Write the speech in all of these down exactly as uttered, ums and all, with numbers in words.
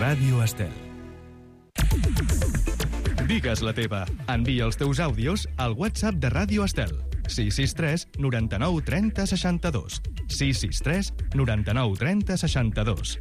Ràdio Estel. Digues la teva. Envia els teus àudios al WhatsApp de Ràdio Estel. sis sis tres noranta-nou trenta seixanta-dos. sis sis tres noranta-nou trenta seixanta-dos.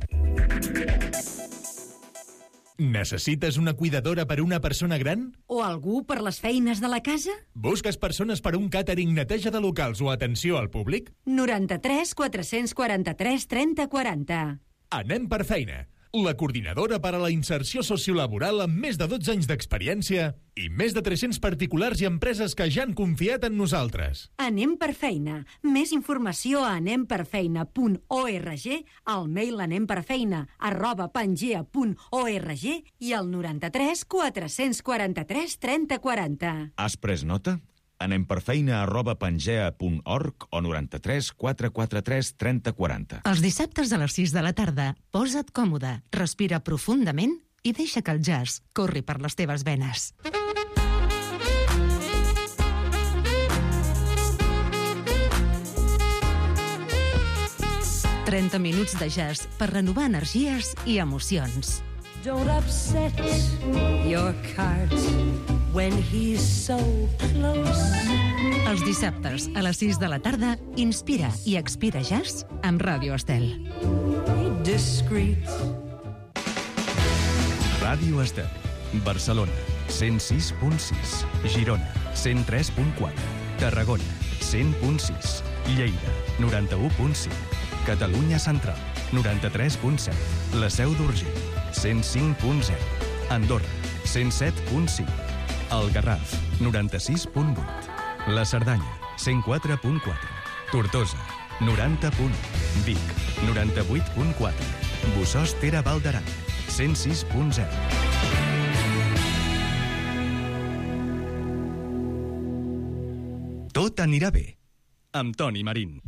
Necessites una cuidadora per una persona gran? O algú per les feines de la casa? Busques persones per un càtering, neteja de locals o atenció al públic? noranta-tres quatre-cents quaranta-tres trenta quaranta. Anem per feina. La coordinadora per a la inserció sociolaboral amb més de dotze anys d'experiència i més de tres-cents particulars i empreses que ja han confiat en nosaltres. Anem per feina. Més informació a anem per feina punt org, al mail anemperfeina arroba pangea punt org i al noranta-tres quatre-cents quaranta-tres trenta quaranta. Has pres nota? Anem per feina arroba pangea punt org o noranta-tres quatre-cents quaranta-tres trenta quaranta. Els dissabtes a les sis de la tarda, posa't còmode, respira profundament i deixa que el jazz corri per les teves venes. trenta minuts de jazz per renovar energies i emocions. Don't upset your cards when he's so close. Els dissabtes a les sis de la tarda, inspira i expira jazz amb Ràdio Estel. Be discreet. Ràdio Estel. Barcelona, cent sis punt sis. Girona, cent tres punt quatre. Tarragona, cent punt sis. Lleida, noranta-u punt cinc. Catalunya Central, noranta-tres punt set. La Seu d'Urgell, cent cinc punt zero. Andorra, cent set punt cinc. El Garraf, noranta-sis punt vuit. La Cerdanya, cent quatre punt quatre. Tortosa, noranta punt u. Vic, noranta-vuit punt quatre. Bossòst Ter Val d'Aran, cent sis punt zero. Tot anirà bé, amb Toni Marín.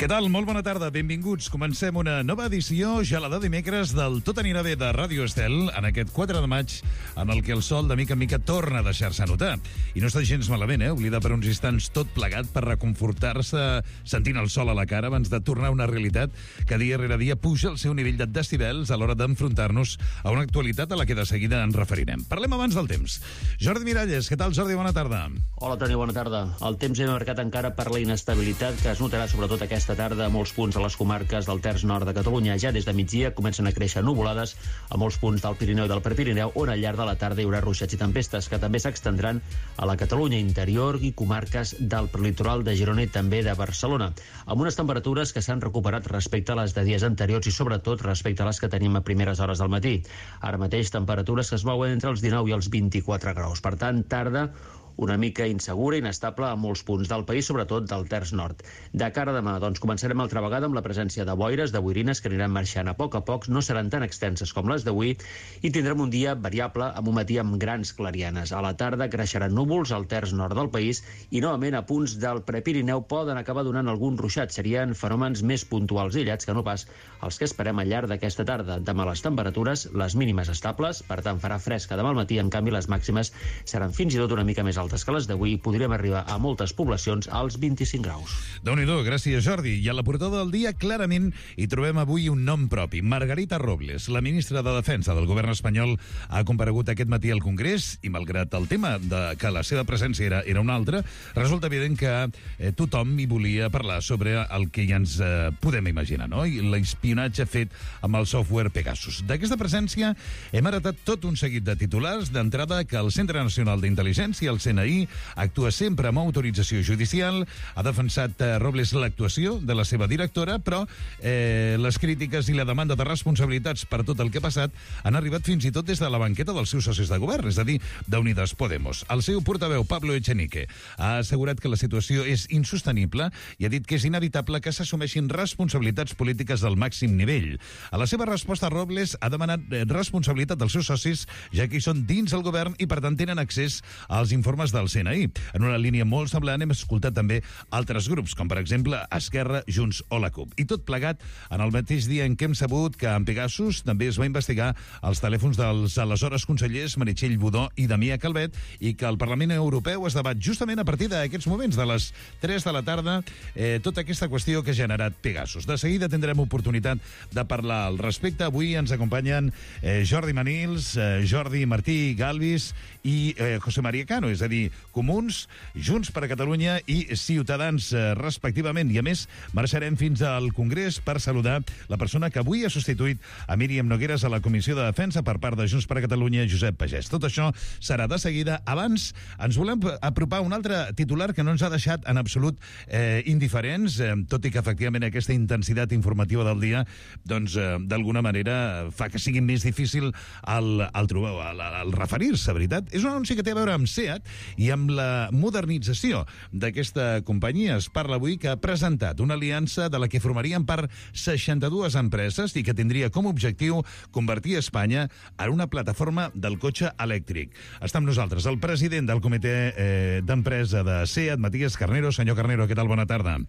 Què tal? Molt bona tarda, benvinguts. Comencem una nova edició, ja la de dimecres, del Tot anirà bé de Ràdio Estel, en aquest quatre de maig, en el que el sol de mica en mica torna a deixar-se notar. I no està gens malament, eh? Oblidar per uns instants tot plegat per reconfortar-se sentint el sol a la cara abans de tornar a una realitat que dia rere dia puja el seu nivell de decibels a l'hora d'enfrontar-nos a una actualitat a la que de seguida ens referirem. Parlem abans del temps. Jordi Miralles, què tal, Jordi? Bona tarda. Hola, Toni, bona tarda. El temps és marcat encara per la inestabilitat que es notarà sobretot aquesta tarda a molts punts de les comarques del terç nord de Catalunya. Ja des de migdia comencen a créixer nuvolades a molts punts del Pirineu i del Prepirineu, on al llarg de la tarda hi haurà ruixats i tempestes que també s'extendran a la Catalunya interior i comarques del prelitoral de Girona i també de Barcelona, amb unes temperatures que s'han recuperat respecte a les de dies anteriors i sobretot respecte a les que tenim a primeres hores del matí. Ara mateix temperatures que es mouen entre els dinou i els vint-i-quatre graus. Per tant, tarda una mica insegura i inestable a molts punts del país, sobretot del terç nord. De cara a demà, doncs, començarem altra vegada amb la presència de boires, de boirines que aniran marxant a poc a poc, no seran tan extenses com les d'avui, i tindrem un dia variable amb un matí amb grans clarianes. A la tarda creixeran núvols al terç nord del país i, novament, a punts del Prepirineu poden acabar donant algun ruixat. Serien fenòmens més puntuals i aïllats que no pas els que esperem al llarg d'aquesta tarda. Demà les temperatures, les mínimes estables, per tant farà fresca demà al matí, en canvi les màximes seran fins i tot una mica més altes que les d'avui, podríem arribar a moltes poblacions als vint-i-cinc graus. Déu-n'hi-do, gràcies, Jordi. I a la portada del dia, clarament, hi trobem avui un nom propi. Margarita Robles, la ministra de Defensa del govern espanyol, ha comparegut aquest matí al Congrés i, malgrat el tema de que la seva presència era, era una altra, resulta evident que eh, tothom hi volia parlar sobre el que ja ens eh, podem imaginar, no? I l'espionatge fet amb el software Pegasus. D'aquesta presència hem heretat tot un seguit de titulars. D'entrada, que el Centre Nacional d'Intel·ligència, el C N I, actua sempre amb autorització judicial. Ha defensat eh, Robles l'actuació de la seva directora, però eh, les crítiques i la demanda de responsabilitats per tot el que ha passat han arribat fins i tot des de la banqueta dels seus socis de govern, és a dir, d'Unidas Podemos. El seu portaveu, Pablo Echenique, ha assegurat que la situació és insostenible i ha dit que és inevitable que s'assumeixin responsabilitats polítiques del màxim nivell. A la seva resposta, Robles ha demanat eh, responsabilitat dels seus socis, ja que hi són dins el govern i, per tant, tenen accés als informes informes del C N I. En una línia molt semblant hem escoltat també altres grups, com per exemple Esquerra, Junts o la CUP. I tot plegat en el mateix dia en què hem sabut que en Pegasus també es va investigar els telèfons dels aleshores consellers Meritxell Budó i Damià Calvet i que el Parlament Europeu es debat justament a partir d'aquests moments, de les tres de la tarda, eh, tota aquesta qüestió que ha generat Pegasus. De seguida tindrem oportunitat de parlar al respecte. Avui ens acompanyen eh, Jordi Manils, eh, Jordi Martí Galvis i eh, José María Cano, és a dir, Comuns, Junts per a Catalunya i Ciutadans, eh, respectivament. I a més, marxarem fins al Congrés per saludar la persona que avui ha substituït a Míriam Nogueras a la Comissió de Defensa per part de Junts per a Catalunya, Josep Pagès. Tot això serà de seguida. Abans, ens volem apropar un altre titular que no ens ha deixat en absolut eh, indiferents, eh, tot i que efectivament aquesta intensitat informativa del dia doncs eh, d'alguna manera fa que sigui més difícil el, el, trobar, el, el referir-se, veritat. És un anunci que té a veure amb SEAT i amb la modernització d'aquesta companyia. Es parla avui que ha presentat una aliança de la que formarien part seixanta-dues empreses i que tindria com a objectiu convertir Espanya en una plataforma del cotxe elèctric. Està amb nosaltres el president del comitè eh, d'empresa de SEAT, Matías Carnero. Señor Carnero, ¿qué tal? Buena tarde.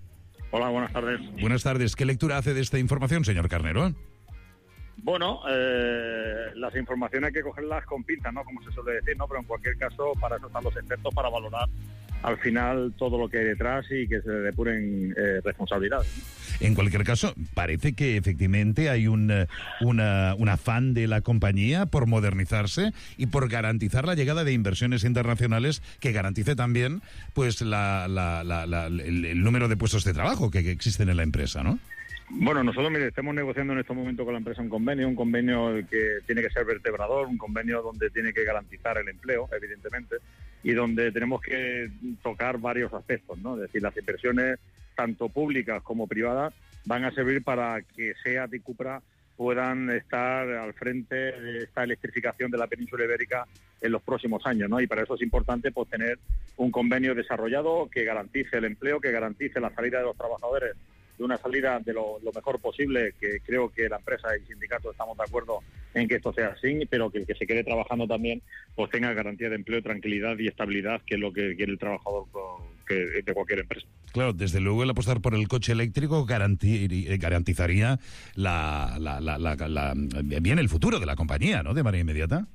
Hola, buenas tardes. Buenas tardes. ¿Qué lectura hace de esta información, señor Carnero? Bueno, eh, las informaciones hay que cogerlas con pinzas, ¿no? Como se suele decir, ¿no? Pero en cualquier caso, para eso están los expertos, para valorar al final todo lo que hay detrás y que se depuren eh, responsabilidades, ¿no? En cualquier caso, parece que efectivamente hay un, una, un afán de la compañía por modernizarse y por garantizar la llegada de inversiones internacionales que garantice también pues la, la, la, la, el, el número de puestos de trabajo que, que existen en la empresa, ¿no? Bueno, nosotros, mire, estamos negociando en este momento con la empresa un convenio, un convenio que tiene que ser vertebrador, un convenio donde tiene que garantizar el empleo, evidentemente, y donde tenemos que tocar varios aspectos, ¿no? Es decir, las inversiones, tanto públicas como privadas, van a servir para que SEAT y Cupra puedan estar al frente de esta electrificación de la península ibérica en los próximos años, ¿no? Y para eso es importante pues tener un convenio desarrollado que garantice el empleo, que garantice la salida de los trabajadores de una salida de lo, lo mejor posible, que creo que la empresa y sindicatos estamos de acuerdo en que esto sea así, pero que el que se quede trabajando también pues tenga garantía de empleo, tranquilidad y estabilidad, que es lo que quiere el trabajador que, de cualquier empresa. Claro, desde luego el apostar por el coche eléctrico garanti- garantizaría la, la, la, la, la, bien el futuro de la compañía, ¿no?, de manera inmediata.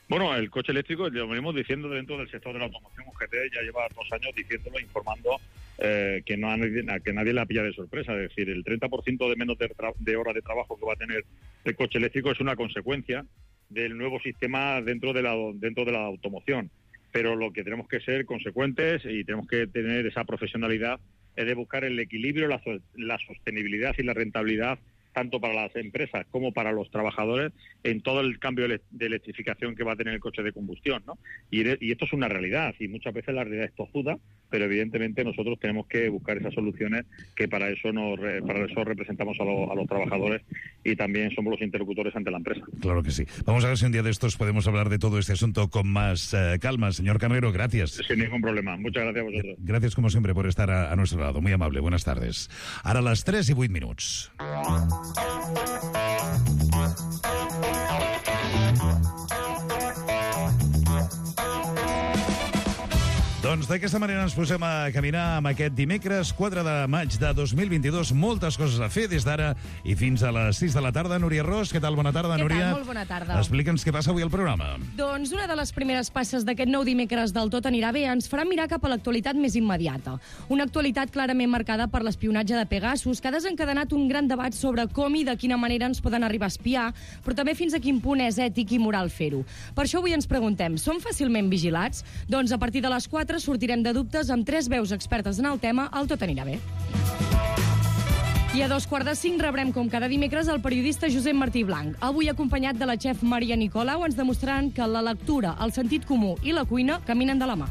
Bueno, el coche eléctrico, lo venimos diciendo dentro del sector de la automoción, U G T ya lleva dos años diciéndolo, informando eh, que, no a nadie, que nadie la pilla de sorpresa. Es decir, el treinta por ciento de menos de, tra- de horas de trabajo que va a tener el coche eléctrico es una consecuencia del nuevo sistema dentro de la, dentro de la automoción. Pero lo que tenemos que ser consecuentes y tenemos que tener esa profesionalidad es de buscar el equilibrio, la, la sostenibilidad y la rentabilidad tanto para las empresas como para los trabajadores en todo el cambio de electrificación que va a tener el coche de combustión, ¿no? Y, y esto es una realidad, y muchas veces la realidad es tozuda, pero evidentemente nosotros tenemos que buscar esas soluciones, que para eso nos para eso representamos a, lo, a los trabajadores y también somos los interlocutores ante la empresa. Claro que sí. Vamos a ver si un día de estos podemos hablar de todo este asunto con más eh, calma. Señor Carnero, gracias. Sin ningún problema. Muchas gracias a vosotros. Gracias, como siempre, por estar a, a nuestro lado. Muy amable. Buenas tardes. Ara les tres i vuit minuts. Doncs d'aquesta manera ens posem a caminar amb aquest dimecres quatre de maig de dos mil vint-i-dos. Moltes coses a fer des d'ara i fins a les sis de la tarda. Núria Ros, què tal? Bona tarda, què Núria. Tal? Molt bona tarda. Explica'ns què passa avui al programa. Doncs una de les primeres passes d'aquest nou dimecres del Tot anirà bé ens farà mirar cap a l'actualitat més immediata. Una actualitat clarament marcada per l'espionatge de Pegasus, que ha desencadenat un gran debat sobre com i de quina manera ens poden arribar a espiar, però també fins a quin punt és ètic i moral fer-ho. Per això avui ens preguntem, som fàcilment vigilats? Doncs a partir de les quatre sortirem de dubtes amb tres veus expertes en el tema al Tot anirà bé. I a dos quarts de cinc rebrem, com cada dimecres, el periodista Josep Martí Blanc. Avui, acompanyat de la xef Maria Nicolau, ens demostraran que la lectura, el sentit comú i la cuina caminen de la mà.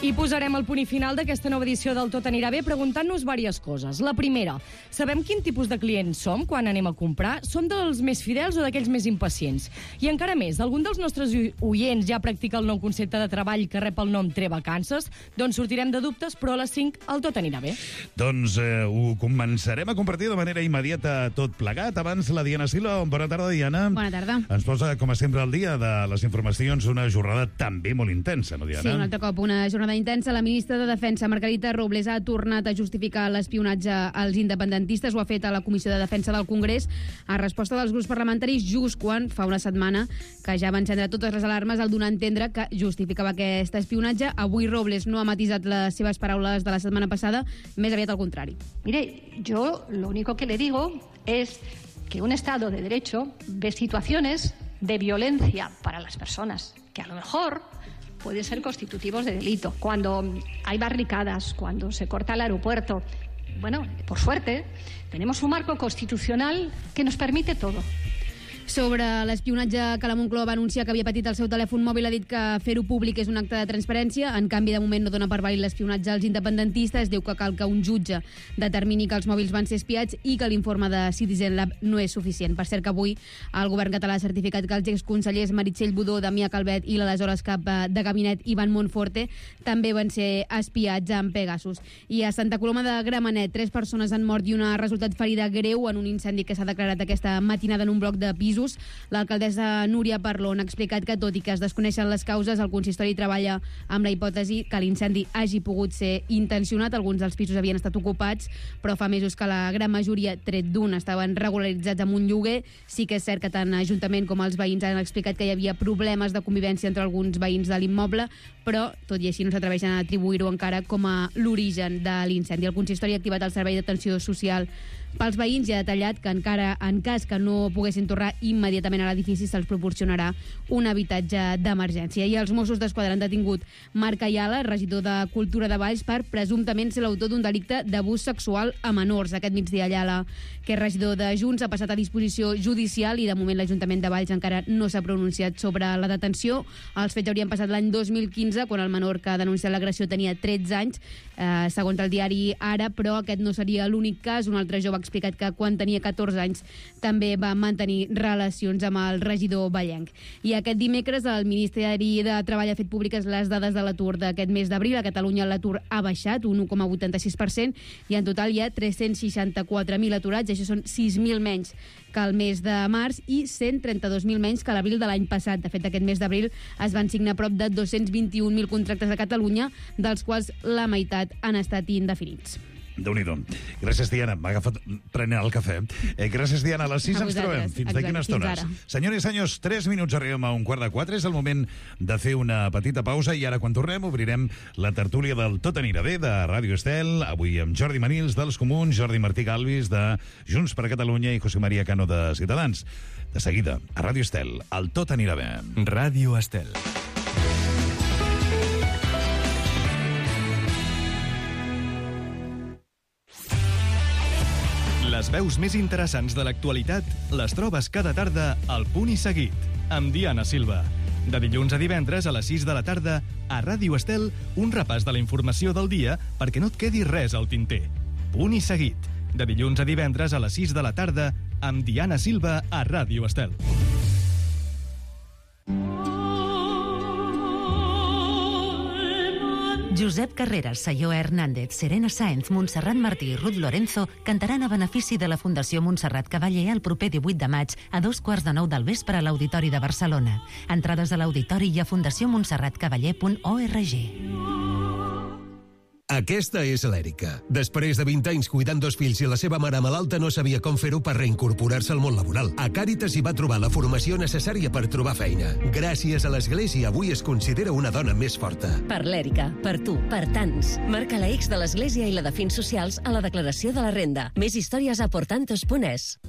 I posarem el punt i final d'aquesta nova edició del Tot anirà bé preguntant-nos diverses coses. La primera, sabem quin tipus de clients som quan anem a comprar? Som dels més fidels o d'aquells més impacients? I encara més, algun dels nostres oients ja practica el nou concepte de treball que rep el nom Trevacances? Doncs sortirem de dubtes, però a les cinc el Tot anirà bé. Doncs eh, ho començarem a compartir de manera immediata tot plegat. Abans, la Diana Silva. Bona tarda, Diana. Bona tarda. Ens posa, com a sempre, al dia de les informacions una jornada també molt intensa, no, Diana? Sí, un altre cop una jornada intensa. La ministra de Defensa, Margarita Robles, ha tornat a justificar l'espionatge als independentistes. Ho ha fet a la Comissió de Defensa del Congrés a resposta dels grups parlamentaris just quan fa una setmana que ja va encendre totes les alarmes al donar a entendre que justificava aquest espionatge. Avui Robles no ha matisat les seves paraules de la setmana passada, més aviat al contrari. Mire, yo lo único que le digo es que un Estado de Derecho ve situaciones de violencia para las personas que a lo mejor pueden ser constitutivos de delito. Cuando hay barricadas, cuando se corta el aeropuerto, bueno, por suerte, tenemos un marco constitucional que nos permite todo. Sobre l'espionatge que la Moncloa va anunciar que havia patit el seu telèfon mòbil, ha dit que fer-ho públic és un acte de transparència. En canvi, de moment no dona per vàlid l'espionatge als independentistes. Diu que cal que un jutge determini que els mòbils van ser espiats i que l'informe de Citizen Lab no és suficient. Per cert que avui el govern català ha certificat que els exconsellers Meritxell Budó, Damià Calvet i l'aleshores cap de gabinet Ivan Monforte també van ser espiats amb Pegasus. I a Santa Coloma de Gramenet, tres persones han mort i una ha resultat ferida greu en un incendi que s'ha declarat aquesta matinada en un bloc de pis. L'alcaldessa Núria Parlon ha explicat que, tot i que es desconeixen les causes, el consistori treballa amb la hipòtesi que l'incendi hagi pogut ser intencionat. Alguns dels pisos havien estat ocupats, però fa mesos que la gran majoria, tret d'un, estaven regularitzats amb un lloguer. Sí que és cert que tant l'Ajuntament com els veïns han explicat que hi havia problemes de convivència entre alguns veïns de l'immoble, però, tot i així, no s'atreveixen a atribuir-ho encara com a l'origen de l'incendi. El consistori ha activat el servei d'atenció social pels veïns i ha detallat que encara en cas que no poguessin tornar immediatament a l'edifici se'ls proporcionarà un habitatge d'emergència. I els Mossos d'Esquadra han detingut Marc Ayala, regidor de Cultura de Valls, per presumptament ser l'autor d'un delicte d'abús sexual a menors. Aquest migdia Ayala, que és regidor de Junts, ha passat a disposició judicial i de moment l'Ajuntament de Valls encara no s'ha pronunciat sobre la detenció. Els fets haurien passat l'any dos mil quinze, quan el menor que ha denunciat l'agressió tenia tretze anys, eh, segons el diari Ara, però aquest no seria l'únic cas. Un altre jove ha explicat que quan tenia catorze anys també va mantenir relacions amb el regidor vallenc. I aquest dimecres el Ministeri de Treball ha fet públiques les dades de l'atur d'aquest mes d'abril. A Catalunya l'atur ha baixat un u coma vuitanta-sis per cent i en total hi ha tres-cents seixanta-quatre mil aturats. Això són sis mil menys que el mes de març i cent trenta-dos mil menys que l'abril de l'any passat. De fet, aquest mes d'abril es van signar prop de dos-cents vint-i-un mil contractes a Catalunya, dels quals la meitat han estat indefinits. Déu-n'hi-do. Gràcies, Diana. M'ha agafat prenent el cafè. Eh, gràcies, Diana. A les sis ens trobem. Fins d'aquí unes estones. Senyores i senyors, tres minuts arribem a un quart de quatre. És el moment de fer una petita pausa i ara, quan tornem, obrirem la tertúlia del Tot anirà bé de Ràdio Estel. Avui amb Jordi Manils, dels Comuns, Jordi Martí Galvis, de Junts per Catalunya i José María Cano, de Ciutadans. De seguida, a Ràdio Estel, el Tot anirà bé. Ràdio Estel. Les veus més interessants de l'actualitat les trobes cada tarda al Punt i Seguit, amb Diana Silva. De dilluns a divendres a les sis de la tarda, a Ràdio Estel, un repàs de la informació del dia perquè no et quedi res al tinter. Punt i Seguit, de dilluns a divendres a les sis de la tarda, amb Diana Silva a Ràdio Estel. Josep Carreras, Sayó Hernández, Serena Sáenz, Montserrat Martí i Ruth Lorenzo cantaran a benefici de la Fundació Montserrat Cavaller el proper divuit de maig a dos quarts de nou del vespre a l'Auditori de Barcelona. Entrades a l'Auditori i a fundació montserrat cavaller punt org. Aquesta és l'Èrica. Després de vint anys cuidant dos fills i la seva mare malalta, no sabia com fer-ho per reincorporar-se al món laboral. A Càritas hi va trobar la formació necessària per trobar feina. Gràcies a l'Església, avui es considera una dona més forta. Per l'Èrica, per tu, per tants. Marca la X de l'Església i la de Fins Socials a la declaració de la renda. Més històries a portantos punt es.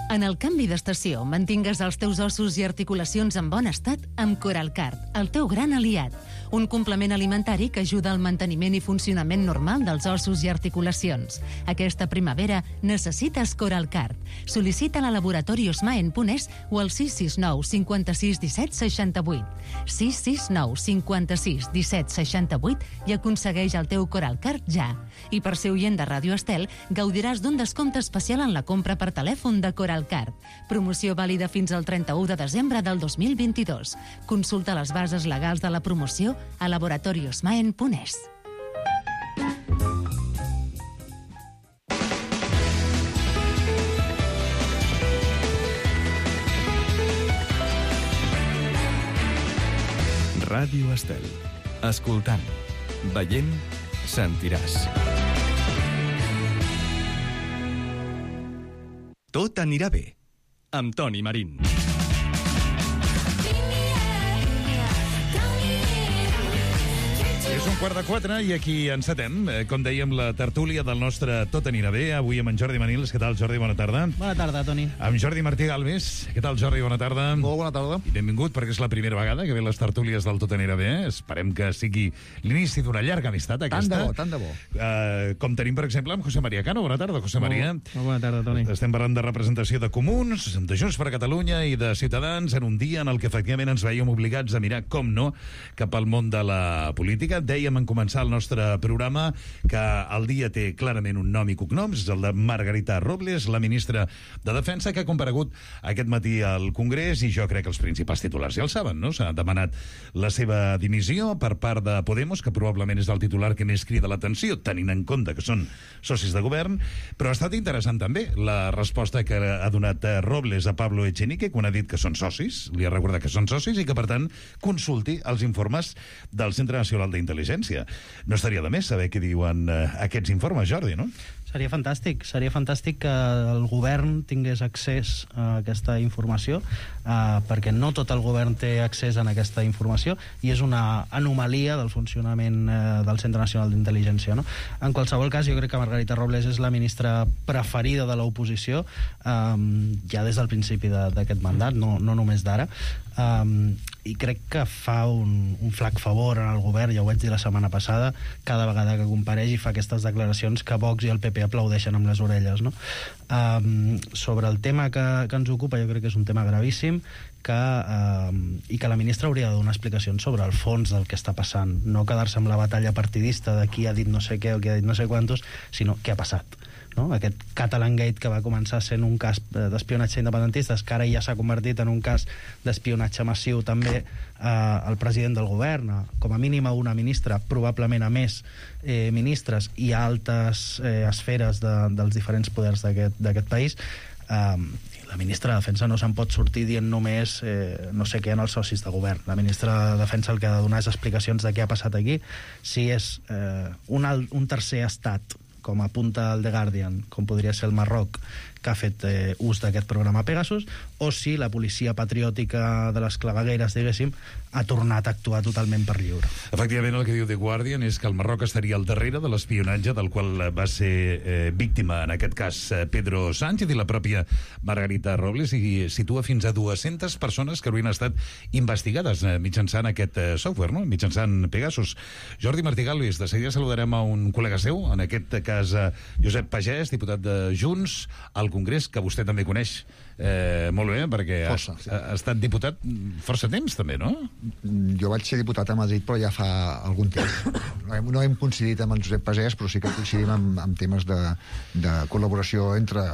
En el canvi d'estació, mantingues els teus ossos i articulacions en bon estat amb Coralcart, el teu gran aliat. un complement alimentari que ajuda al manteniment i funcionament normal dels ossos i articulacions. Aquesta primavera necessites Coralcard. Sol·licita-la a Laboratori Osmaen punt es o al sis sis nou cinquanta-sis disset seixanta-vuit. sis sis nou cinquanta-sis disset seixanta-vuit i aconsegueix el teu Coralcard ja. I per ser oient de Ràdio Estel, gaudiràs d'un descompte especial en la compra per telèfon de Coralcard. Promoció vàlida fins al trenta-u de desembre del dos mil vint-i-dos. Consulta les bases legals de la promoció a laboratori osmaen punt es. Ràdio Estel. Escoltant, veient, sentiràs. Tot anirà bé, amb Toni Marín. És un quart de quatre i aquí encetem, com dèiem, la tertúlia del nostre Tot anirà bé, avui amb en Jordi Manils. Què tal, Jordi? Bona tarda. Bona tarda, Toni. Amb Jordi Martí Galvez. Què tal, Jordi? Bona tarda. Molt bona tarda. I benvingut, perquè és la primera vegada que ve les tertúlies del Tot anirà bé. Esperem que sigui l'inici d'una llarga amistat, aquesta. Tant de bo, tant de bo. Uh, com tenim, per exemple, amb José María Cano. Bona tarda, José María. Molt, molt bona tarda, Toni. Estem parlant de representació de Comuns, de Junts per Catalunya i de Ciutadans en un dia en el que efectivament ens veiem obligats a mirar, com no, cap al món de la política. Dèiem en començar el nostre programa que el dia té clarament un nom i cognoms, és el de Margarita Robles, la ministra de Defensa, que ha comparegut aquest matí al Congrés, i jo crec que els principals titulars ja el saben, no? S'ha demanat la seva dimissió per part de Podemos, que probablement és el titular que més crida l'atenció, tenint en compte que són socis de govern, però ha estat interessant també la resposta que ha donat Robles a Pablo Echenique, quan ha dit que són socis, li ha recordat que són socis i que, per tant, consulti els informes del Centre Nacional d'Intel·ligència. No estaria de més saber què diuen eh, aquests informes, Jordi, no? Seria fantàstic, seria fantàstic que el govern tingués accés a aquesta informació, eh, perquè no tot el govern té accés a aquesta informació i és una anomalia del funcionament eh, del Centre Nacional d'Intel·ligència, no? En qualsevol cas, jo crec que Margarita Robles és la ministra preferida de l'oposició eh, ja des del principi d'aquest mandat, no, no només d'ara. Um, i crec que fa un, un flac favor en el govern, ja ho vaig dir la setmana passada, cada vegada que compareix i fa aquestes declaracions que Vox i el P P aplaudeixen amb les orelles, no? Um, sobre el tema que, que ens ocupa, jo crec que és un tema gravíssim, que, um, i que la ministra hauria de donar explicacions sobre el fons del que està passant, no quedar-se amb la batalla partidista de qui ha dit no sé què o qui ha dit no sé quantos, sinó què ha passat, no? Aquest Catalan Gate, que va començar sent un cas d'espionatge independentistes, que ara ja s'ha convertit en un cas d'espionatge massiu també eh, al president del govern, com a mínim a una ministra, probablement a més eh, ministres i a altes eh, esferes de, dels diferents poders d'aquest país. Eh, la ministra de Defensa no se'n pot sortir dient només eh, no sé què en els socis de govern. La ministra de Defensa el que ha de donar és explicacions de què ha passat aquí, si és eh, un, un tercer estat, com apunta el The Guardian, com podria ser el Marroc, que ha fet eh, ús d'aquest programa Pegasus, o si la policia patriòtica de les clavegueres, diguéssim, ha tornat a actuar totalment per lliure. Efectivament, el que diu The Guardian és que el Marroc estaria al darrere de l'espionatge del qual va ser eh, víctima, en aquest cas, eh, Pedro Sánchez i la pròpia Margarita Robles, i situa fins a dues-centes persones que haurien estat investigades eh, mitjançant aquest eh, software, no? Mitjançant Pegasus. Jordi Martí Galvez, de seguida saludarem a un col·lega seu, en aquest cas eh, Josep Pagès, diputat de Junts al Congrés, que vostè també coneix eh, molt bé, perquè força, ha, sí. ha estat diputat força temps, també, no? Jo vaig ser diputat a Madrid, però ja fa algun temps. No hem, no hem coincidit amb en Josep Pagès, però sí que coincidim amb, amb temes de, de col·laboració entre,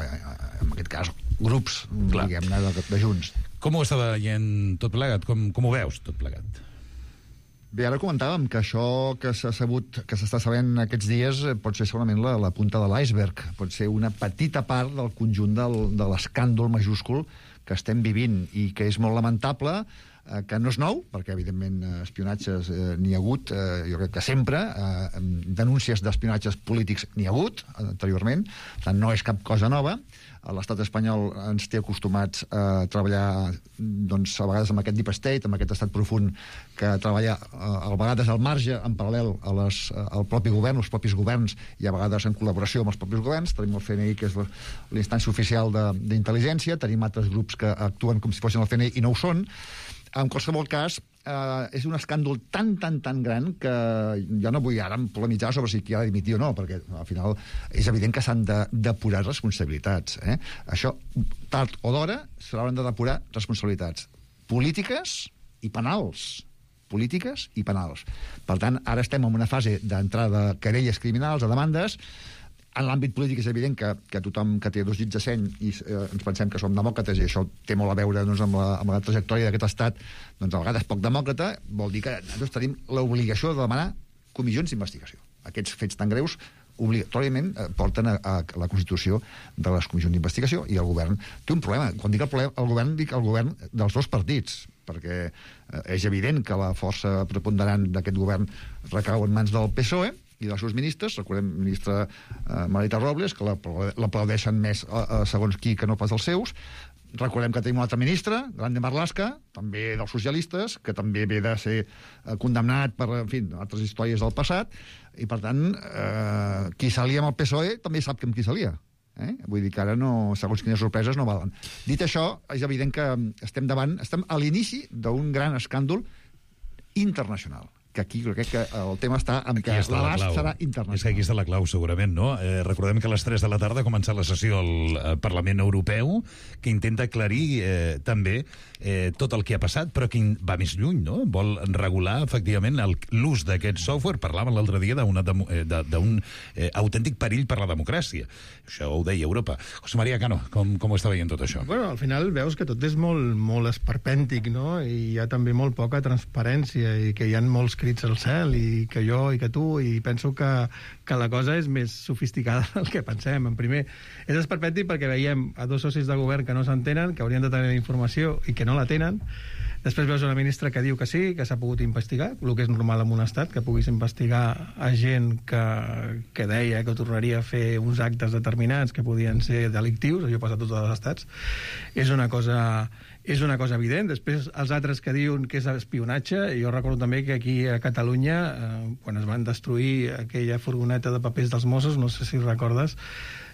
en aquest cas, grups, diguem-ne, de, de Junts. Com ho està veient tot plegat? Com, com ho veus tot plegat? Bé, ara comentàvem que això que s'ha sabut, que s'està sabent aquests dies pot ser segurament la, la punta de l'iceberg, pot ser una petita part del conjunt del, de l'escàndol majúscul que estem vivint i que és molt lamentable, eh, que no és nou, perquè evidentment espionatges eh, n'hi ha hagut, eh, jo crec que sempre, eh, denúncies d'espionatges polítics n'hi ha hagut anteriorment, per tant no és cap cosa nova. L'estat espanyol ens té acostumats a treballar, doncs, a vegades amb aquest deep state, amb aquest estat profund que treballa a vegades al marge, en paral·lel a les, al propi govern, els propis governs, i a vegades en col·laboració amb els propis governs. Tenim el C N I, que és l'instància oficial d'intel·ligència, tenim altres grups que actuen com si fossin el C N I i no ho són. En qualsevol cas, eh, és un escàndol tan, tan, tan gran que jo no vull ara polemitzar sobre si qui ha de dimitir o no, perquè al final és evident que s'han de depurar responsabilitats. Eh? Això, tard o d'hora, s'hauran de depurar responsabilitats polítiques i penals. polítiques i penals. Per tant, ara estem en una fase d'entrada de querelles criminals, de demandes. En l'àmbit polític és evident que, que tothom que té dos dits de seny i eh, ens pensem que som demòcrates i això té molt a veure doncs, amb, la, amb la trajectòria d'aquest estat, doncs a vegades poc demòcrata, vol dir que nosaltres tenim l'obligació de demanar comissions d'investigació. Aquests fets tan greus obligatòriament eh, porten a, a la constitució de les comissions d'investigació i el govern té un problema. Quan dic el problema, el govern dic el govern dels dos partits, perquè eh, és evident que la força preponderant d'aquest govern recau en mans del P S O E i dels seus ministres, recordem ministra eh, Margarita Robles, que l'aplaudeixen més eh, segons qui que no pas els seus. Recordem que tenim un altre ministre, Grande Marlaska, també dels socialistes, que també ve de ser eh, condemnat per, en fi, altres històries del passat, i per tant, eh, qui s'alia amb el P S O E també sap que amb qui s'alia. Eh? Vull dir que ara, no, segons quines sorpreses, no valen. Dit això, és evident que estem davant, estem a l'inici d'un gran escàndol internacional, que aquí crec que el tema està en que l'abast serà internacional. És que aquí està la clau, segurament, no? Eh, recordem que a les tres de la tarda ha començat la sessió al Parlament Europeu, que intenta aclarir eh, també eh, tot el que ha passat, però que va més lluny, no? Vol regular, efectivament, l'ús d'aquest software. Parlàvem l'altre dia d'un eh, autèntic perill per la democràcia. Això ho deia Europa. José María Cano, com, com ho està veient tot això? Bueno, al final veus que tot és molt, molt esperpèntic, no? I hi ha també molt poca transparència i que hi ha molts crits al cel i que jo i que tu, i penso que, que la cosa és més sofisticada del que pensem. En primer, és esperpèntic perquè veiem a dos socis de govern que no s'entenen, que haurien de tenir informació i que no la tenen. Després veus una ministra que diu que sí, que s'ha pogut investigar, el que és normal en un estat, que puguis investigar a gent que, que deia que tornaria a fer uns actes determinats que podien ser delictius, això passa a tots els estats. És una cosa... És una cosa evident. Després, els altres que diuen que és espionatge, jo recordo també que aquí a Catalunya, eh, quan es van destruir aquella furgoneta de papers dels Mossos, no sé si recordes,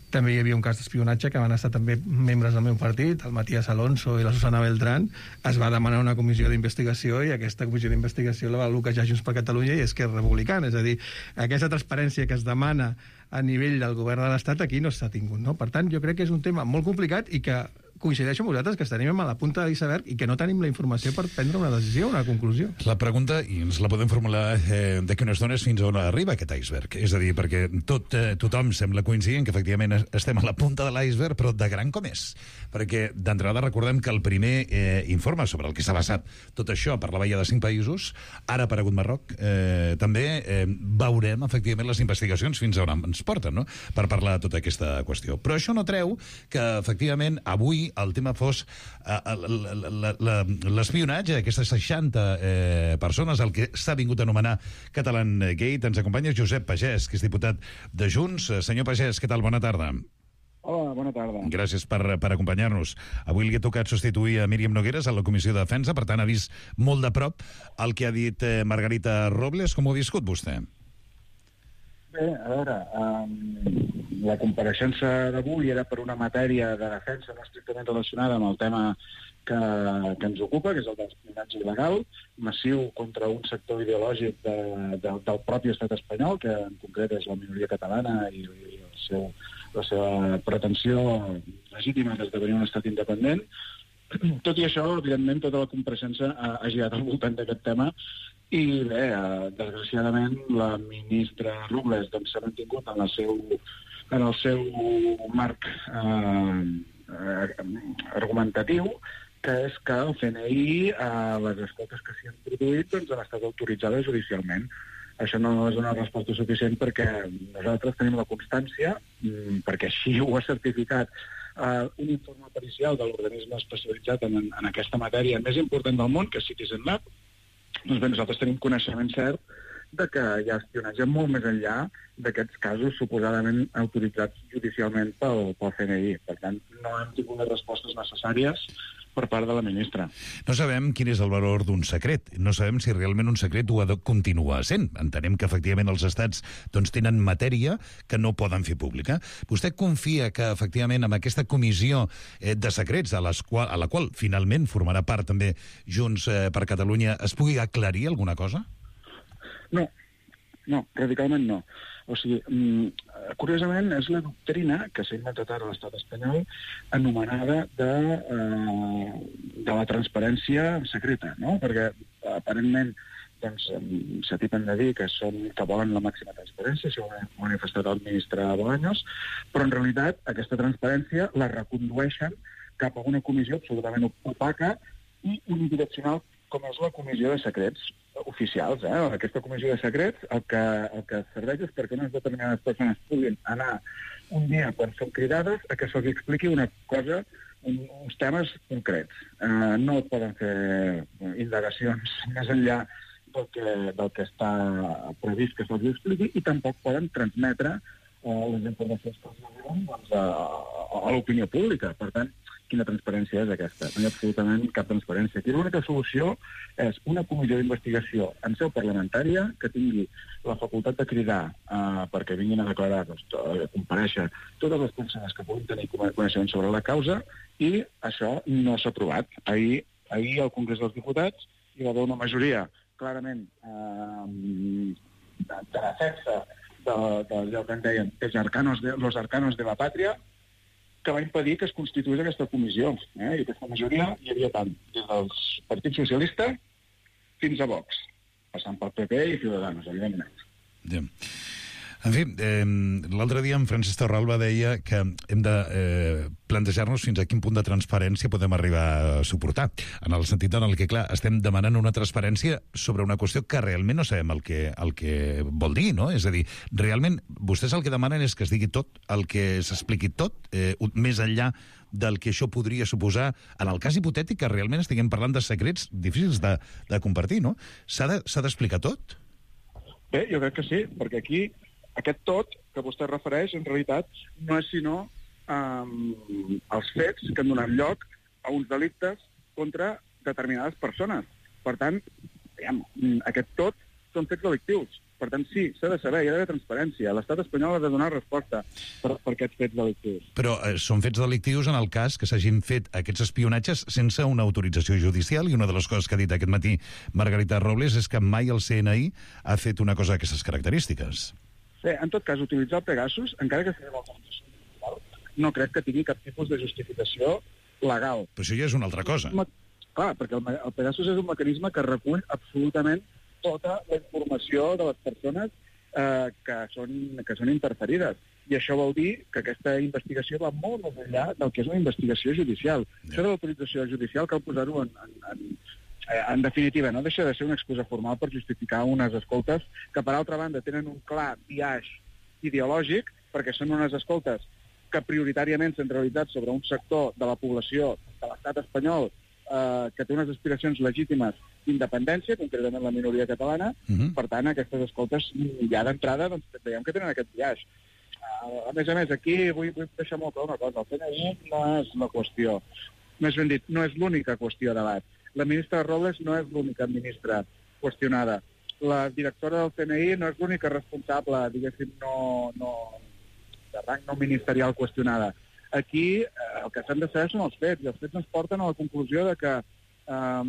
també hi havia un cas d'espionatge que van estar també membres del meu partit, el Matías Alonso i la Susana Beltrán. Es va demanar una comissió d'investigació i aquesta comissió d'investigació la va bloquejar Junts per Catalunya i Esquerra Republicana. És a dir, aquesta transparència que es demana a nivell del govern de l'Estat aquí no s'ha tingut, no? Per tant, jo crec que és un tema molt complicat i que coincideixo amb vosaltres que estaríem a la punta de l'iceberg i que no tenim la informació per prendre una decisió, una conclusió. La pregunta, i ens la podem formular eh, d'aquí unes dones fins a on arriba aquest iceberg. És a dir, perquè tot, eh, tothom sembla coincidir que efectivament estem a la punta de l'iceberg, però de gran com és. Perquè d'entrada recordem que el primer eh, informe sobre el que s'ha basat tot això parlava ja de cinc països, ara ha aparegut Marroc, eh, també eh, veurem efectivament les investigacions fins a on ens porten, no?, per parlar de tota aquesta qüestió. Però això no treu que efectivament avui el tema fos uh, l'espionatge, aquestes seixanta eh, persones, el que s'ha vingut a anomenar Catalan Gate. Ens acompanya Josep Pagès, que és diputat de Junts. Senyor Pagès, què tal? Bona tarda. Hola, bona tarda. Gràcies per, per acompanyar-nos. Avui li ha tocat substituir a Míriam Nogueras a la Comissió de Defensa, per tant ha vist molt de prop el que ha dit eh, Margarita Robles. Com ho ha viscut vostè? Bé, a veure, um, la compareixença d'avui era per una matèria de defensa no estrictament relacionada amb el tema que, que ens ocupa, que és el d'espionatge il·legal, massiu contra un sector ideològic de, de, del propi estat espanyol, que en concret és la minoria catalana i, i el seu, la seva pretensió legítima d'esdevenir un estat independent. Tot i això, evidentment, tota la compareixença ha, ha girat al voltant d'aquest tema. I bé, eh, desgraciadament, la ministra Robles doncs, s'ha mantingut en el seu, en el seu marc eh, eh, argumentatiu, que és que el C N I, eh, les escoltes que s'hi han produït, doncs, han estat autoritzades judicialment. Això no és una resposta suficient perquè nosaltres tenim la constància, perquè així ho ha certificat eh, un informe pericial de l'organisme especialitzat en, en aquesta matèria més important del món, que és Citizen Lab. Doncs bé, nosaltres tenim coneixement cert de que hi ha espionatge molt més enllà d'aquests casos suposadament autoritzats judicialment pel, pel C N I. Per tant, no hem tingut les respostes necessàries per part de la ministra. No sabem quin és el valor d'un secret. No sabem si realment un secret ho ha de continuar sent. Entenem que, efectivament, els estats doncs, tenen matèria que no poden fer pública. Vostè confia que, efectivament, amb aquesta comissió eh, de secrets, a, les qual, a la qual finalment formarà part també Junts eh, per Catalunya, es pugui aclarir alguna cosa? No, no, radicalment no. O sigui, curiosament, és la doctrina que s'ha inventat ara a l'estat espanyol anomenada de, eh, de la transparència secreta, no? Perquè, aparentment, doncs, s'atipen de dir que, són, que volen la màxima transparència, això ho ha manifestat el ministre Bolaños, però en realitat aquesta transparència la recondueixen cap a una comissió absolutament opaca i unidireccional com és la comissió de secrets oficials. Eh? Aquesta comissió de secrets el que, el que serveix és perquè unes determinades persones puguin anar un dia quan són cridades a que se'ls expliqui una cosa, un, uns temes concrets. Eh, no poden fer indagacions més enllà del que, del que està previst que se'ls expliqui i tampoc poden transmetre eh, les informacions que els diuen doncs, a, a l'opinió pública. Per tant, quina transparència és aquesta? No hi ha absolutament cap transparència. Aquí l'única solució és una comissió d'investigació en seu parlamentària que tingui la facultat de cridar eh, perquè vinguin a declarar, doncs, a comparèixer totes les persones que puguin tenir coneixement sobre la causa, i això no s'ha aprovat. Ahir, ahir al Congrés dels Diputats hi va haver una majoria clarament eh, de, de defensa d'allò que en deien els arcanos de, los arcanos de la pàtria, que va impedir que es constituís aquesta comissió. Eh? I aquesta majoria hi havia tant des del Partit Socialista fins a Vox, passant pel P P i Ciudadanos, evidentment. Ja. En fi, eh, l'altre dia en Francesc Torralba deia que hem de eh, plantejar-nos fins a quin punt de transparència podem arribar a suportar, en el sentit en el que, clar, estem demanant una transparència sobre una qüestió que realment no sabem el que, el que vol dir, no? És a dir, realment, vostès el que demanen és que es digui tot, el que s'expliqui tot, eh, més enllà del que això podria suposar, en el cas hipotètic que realment estiguem parlant de secrets difícils de, de compartir, no? S'ha de, s'ha d'explicar tot? Bé, jo crec que sí, perquè aquí aquest tot que vostè refereix, en realitat, no és sinó um, els fets que han donat lloc a uns delictes contra determinades persones. Per tant, diguem, aquest tot són fets delictius. Per tant, sí, s'ha de saber, hi ha d'haver transparència. L'estat espanyol ha de donar resposta per, per aquests fets delictius. Però eh, són fets delictius en el cas que s'hagin fet aquests espionatges sense una autorització judicial, i una de les coses que ha dit aquest matí Margarita Robles és que mai el C N I ha fet una cosa d'aquestes característiques. Bé, en tot cas, utilitzar el Pegasus, encara que sigui una autorització judicial, no crec que tingui cap tipus de justificació legal. Però això ja és una altra cosa. Clar, perquè el, el Pegasus és un mecanisme que recull absolutament tota la informació de les persones eh, que, són, que són interferides. I això vol dir que aquesta investigació va molt més enllà del que és una investigació judicial. Ja. Això de l'autorització judicial cal posar-ho en, en, en, en definitiva, no deixa de ser una excusa formal per justificar unes escoltes que, per altra banda, tenen un clar biaix ideològic, perquè són unes escoltes que prioritàriament s'han realitzat sobre un sector de la població de l'estat espanyol eh, que té unes aspiracions legítimes d'independència, concretament la minoria catalana. Uh-huh. Per tant, aquestes escoltes ja d'entrada doncs, veiem que tenen aquest biaix. Uh, a més a més, aquí vull, vull deixar molt clar una cosa. El C N I no és la qüestió. Més ben dit, no és l'única qüestió de debat. La ministra Robles no és l'única ministra qüestionada. La directora del C N I no és l'única responsable, diguéssim, no, no, de rang no ministerial qüestionada. Aquí eh, el que s'han de saber són els fets, i els fets ens porten a la conclusió de que eh,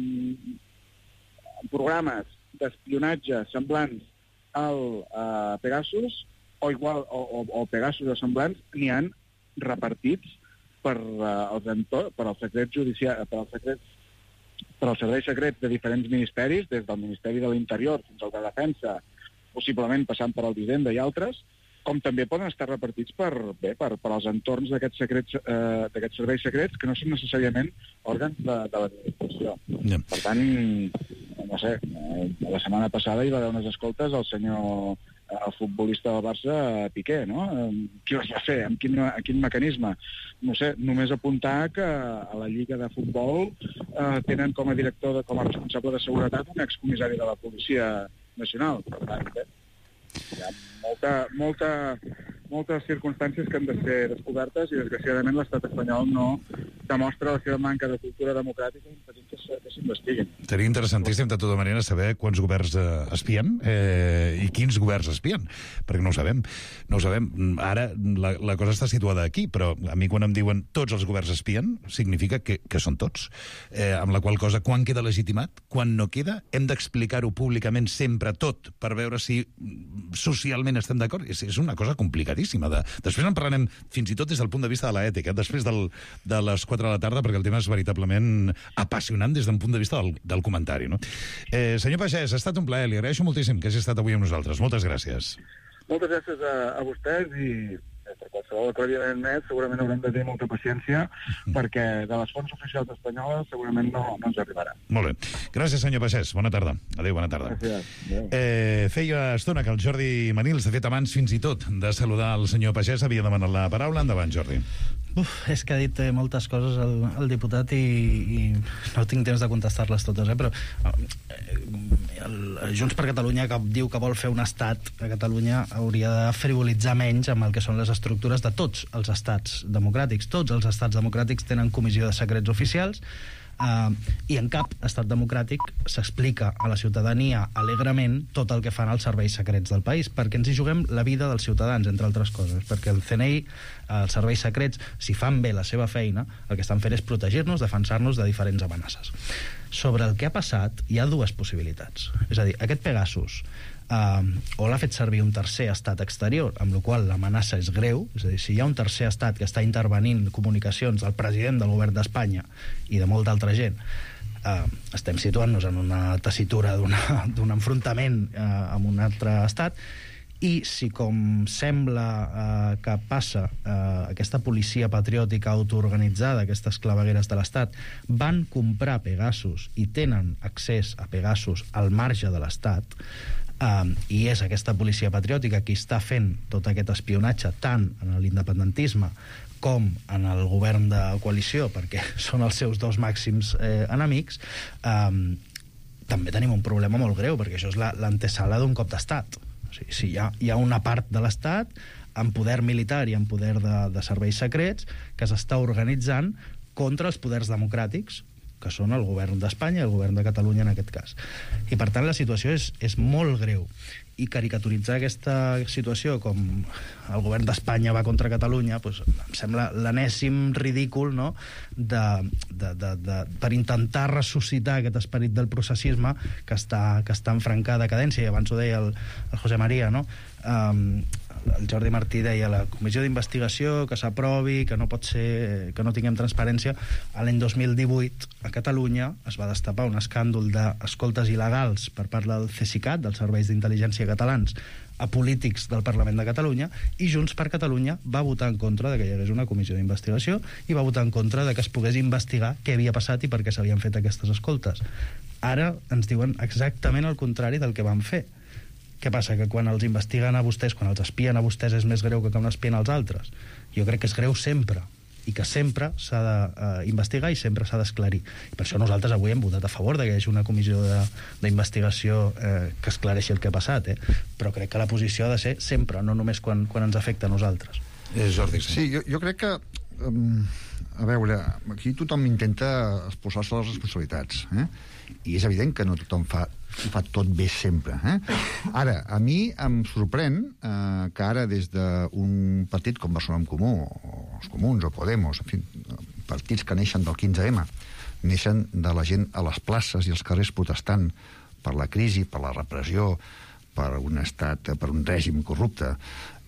programes d'espionatge semblants al eh, Pegasus o igual o, o, o Pegasus o semblants n'hi han repartits per, eh, els entor- per als secrets judicials, per als secrets per als serveis secrets de diferents ministeris, des del Ministeri de l'Interior fins al de Defensa, possiblement passant per el d'Hisenda i altres, com també poden estar repartits per, bé, per, per als entorns d'aquests secrets, eh, d'aquests serveis secrets que no són necessàriament òrgans de, de l'administració. Yeah. Per tant, no sé, eh, la setmana passada hi va haver unes escoltes al senyor el futbolista del Barça, Piqué, no? Qui ho va fer? Amb quin, amb quin mecanisme? No sé, només apuntar que a la Lliga de Futbol eh, tenen com a director, de, com a responsable de seguretat, un excomissari de la Policia Nacional. Per tant, bé, hi ha molta, molta moltes circumstàncies que han de ser descobertes i, desgraciadament, l'estat espanyol no demostra la seva manca de cultura democràtica impedint que s'investiguin. Seria interessantíssim, de tota manera, saber quants governs eh, espien eh, i quins governs espien, perquè no ho sabem. No ho sabem. Ara la, la cosa està situada aquí, però a mi quan em diuen tots els governs espien, significa que, que són tots. Eh, amb la qual cosa, quan queda legitimat, quan no queda, hem d'explicar-ho públicament sempre tot per veure si socialment estem d'acord. És, és una cosa complicadíssima. De... Després en parlarem fins i tot des del punt de vista de l'ètica, després del, de les quatre de la tarda, perquè el tema és veritablement apassionant des d'un punt de vista del, del comentari. No? Eh, senyor Pagès, ha estat un plaer. Li agraeixo moltíssim que hagi estat avui amb nosaltres. Moltes gràcies. Moltes gràcies a, a vostès i per qualsevol aclariment més segurament haurem de tenir molta paciència perquè de les fonts oficials espanyoles segurament no, no ens arribarà. Molt bé. Gràcies, senyor Pagès. Bona tarda. Adéu, bona tarda. Gràcies. Eh, feia estona que el Jordi Manils, de fet abans fins i tot de saludar el senyor Pagès, havia demanat la paraula. Endavant, Jordi. Uf, és que ha dit eh, moltes coses el, el diputat i, i no tinc temps de contestar-les totes, eh? Però eh, el, Junts per Catalunya, que diu que vol fer un estat a Catalunya, hauria de frivolitzar menys amb el que són les estructures de tots els estats democràtics. Tots els estats democràtics tenen comissió de secrets oficials, Uh, i en cap estat democràtic s'explica a la ciutadania alegrement tot el que fan els serveis secrets del país, perquè ens hi juguem la vida dels ciutadans, entre altres coses, perquè el C N I, els serveis secrets, si fan bé la seva feina, el que estan fent és protegir-nos, defensar-nos de diferents amenaces. Sobre el que ha passat, hi ha dues possibilitats. És a dir, aquest Pegasus Uh, o l'ha fet servir un tercer estat exterior, amb la qual l'amenaça és greu, és a dir, si hi ha un tercer estat que està intervenint comunicacions del president del govern d'Espanya i de molta altra gent, uh, estem situant-nos en una tessitura d'un enfrontament uh, amb un altre estat, i si, com sembla eh, que passa, eh, aquesta policia patriòtica autoorganitzada, aquestes clavegueres de l'Estat, van comprar Pegasus i tenen accés a Pegasus al marge de l'Estat, eh, i és aquesta policia patriòtica qui està fent tot aquest espionatge tant en l'independentisme com en el govern de coalició, perquè són els seus dos màxims eh, enemics, eh, també tenim un problema molt greu, perquè això és l'antesala d'un cop d'estat. O sigui, si hi ha, hi ha una part de l'Estat amb poder militar i amb poder de, de serveis secrets que s'està organitzant contra els poders democràtics, que són el govern d'Espanya i el govern de Catalunya en aquest cas. I per tant la situació és, és molt greu. I caricaturitzar aquesta situació com el govern d'Espanya va contra Catalunya, doncs, em sembla l'enèsim ridícul, no? de, de, de, de, per intentar ressuscitar aquest esperit del processisme que està, que està en franca decadència. I abans ho deia el, el José María, no? Um, el Jordi Martí deia la comissió d'investigació que s'aprovi, que no pot ser, que no tinguem transparència. L'any dos mil divuit a Catalunya es va destapar un escàndol d'escoltes il·legals per part del CESICAT, dels serveis d'intel·ligència catalans, a polítics del Parlament de Catalunya, i Junts per Catalunya va votar en contra de que hi hagués una comissió d'investigació i va votar en contra de que es pogués investigar què havia passat i per què s'havien fet aquestes escoltes. Ara ens diuen exactament el contrari del que van fer. Què passa? Que quan els investiguen a vostès, quan els espien a vostès, és més greu que quan espien als altres? Jo crec que és greu sempre, i que sempre s'ha d'investigar i sempre s'ha d'esclarir. I per això nosaltres avui hem votat a favor de que hi hagi una comissió d'investigació eh, que esclareixi el que ha passat, eh? Però crec que la posició ha de ser sempre, no només quan, quan ens afecta a nosaltres. Eh, Jordi, sí. Sí, jo, jo crec que... Um, a veure, aquí tothom intenta exposar-se les responsabilitats, eh? I és evident que no tothom fa, fa tot bé sempre, eh? Ara, a mi em sorprèn eh, que ara des d'un partit com Barcelona en Comú, o els Comuns, o Podemos, en fi, partits que neixen del quinze ema, neixen de la gent a les places i als carrers protestant per la crisi, per la repressió, per un estat, per un règim corrupte,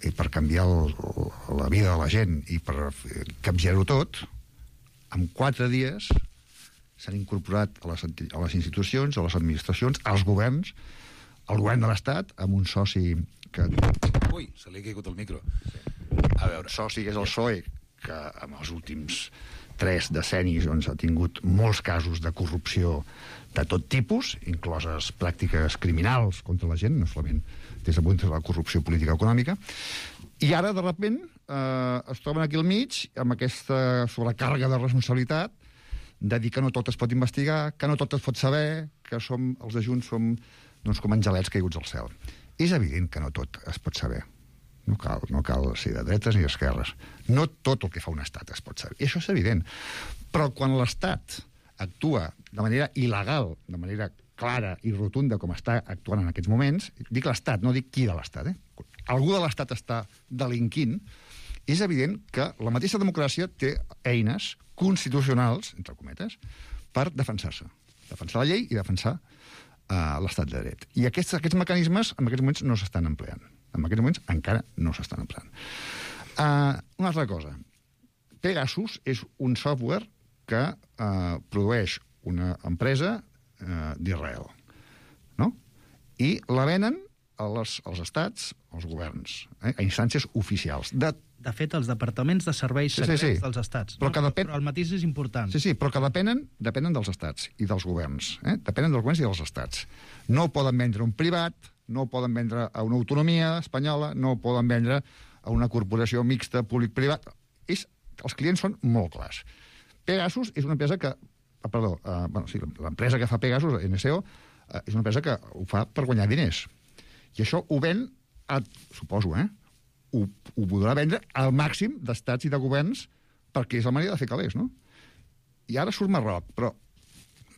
i per canviar el, la vida de la gent i per capgirar-ho tot, en quatre dies s'han incorporat a les, a les institucions, a les administracions, als governs, al govern de l'Estat, amb un soci que... Ui, se li ha caigut el micro. A veure, soci que és el P S O E, que en els últims tres decennis doncs, ha tingut molts casos de corrupció de tot tipus, incloses pràctiques criminals contra la gent, no solament des del punt de la corrupció política o econòmica, i ara, de sobte, eh, es troben aquí al mig amb aquesta sobrecàrrega de responsabilitat de dir que no tot es pot investigar, que no tot es pot saber, que som, els de Junts som doncs, com angelets caiguts al cel. És evident que no tot es pot saber. No cal, no cal ser de dretes ni d'esquerres. No tot el que fa un estat es pot saber. I això és evident. Però quan l'estat actua de manera il·legal, de manera clara i rotunda com està actuant en aquests moments, dic l'estat, no dic qui de l'estat, eh? Algú de l'estat està delinquint, és evident que la mateixa democràcia té eines constitucionals, entre cometes, per defensar-se. Defensar la llei i defensar uh, l'estat de dret. I aquests, aquests mecanismes en aquests moments no s'estan empleant. En aquests moments encara no s'estan empleant. Uh, una altra cosa. Pegasus és un software que uh, produeix una empresa uh, d'Israel. No? I la venen als, als estats, als governs, eh, a instàncies oficials. De De fet, els departaments de serveis secrets sí, sí, sí. dels estats. Però, no? depèn... però el matís és important. Sí, sí, però que depenen, depenen dels estats i dels governs. Eh? Depenen dels governs i dels estats. No ho poden vendre a un privat, no ho poden vendre a una autonomia espanyola, no ho poden vendre a una corporació mixta públic-privat. És... Els clients són molt clars. Pegasus és una empresa que... Ah, perdó, uh, bueno, sí, l'empresa que fa Pegasus, N S O, uh, és una empresa que ho fa per guanyar diners. I això ho ven, a, suposo, eh? Ho, ho podrà vendre al màxim d'estats i de governs perquè és la manera de fer calés, no? I ara surt Marroc, però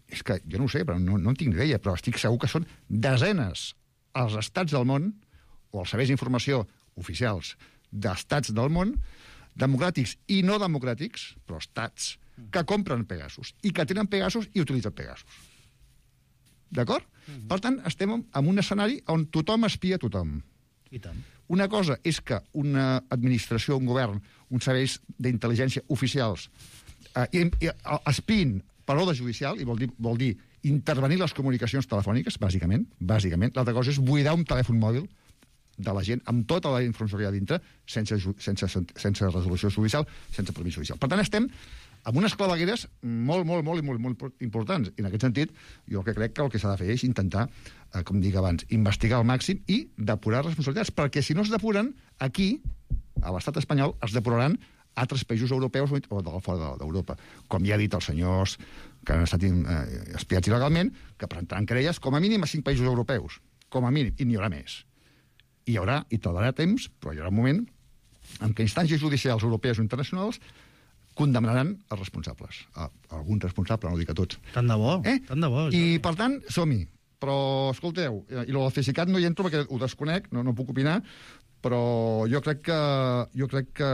és que jo no ho sé, però no, no en tinc ni idea, però estic segur que són desenes els estats del món o els serveis d'informació oficials d'estats del món, democràtics i no democràtics, però estats que compren Pegasus i que tenen Pegasus i utilitzen Pegasus. D'acord? Mm-hmm. Per tant, estem en un escenari on tothom espia tothom. I tant. Una cosa és que una administració, un govern, uns serveis d'intel·ligència oficials eh, espiïn per ordre judicial, i vol dir, vol dir intervenir les comunicacions telefòniques, bàsicament. bàsicament. L'altra cosa és buidar un telèfon mòbil de la gent amb tota la informació que hi ha dintre, sense, sense, sense resolució judicial, sense permís judicial. Per tant, estem amb unes clavegueres molt, molt, molt, molt, molt importants. I en aquest sentit, jo el que crec que el que s'ha de fer és intentar, eh, com dic abans, investigar al màxim i depurar responsabilitats, perquè si no es depuren, aquí, a l'estat espanyol, es depuraran altres països europeus o de fora d'Europa. Com ja ha dit els senyors que han estat eh, espiats il·legalment, que presentaran querelles com a mínim a cinc països europeus. Com a mínim, i n'hi haurà més. I hi haurà, i tardarà temps, però hi haurà un moment en què instàncies judicials europees o internacionals condemnaran els responsables. A, a algun responsable, no ho dic a tots. Tant de bo, eh? tant de bo. I, per tant, som-hi. Però, escolteu, i el Cesicat no hi entro perquè ho desconec, no, no puc opinar, però jo crec que jo crec que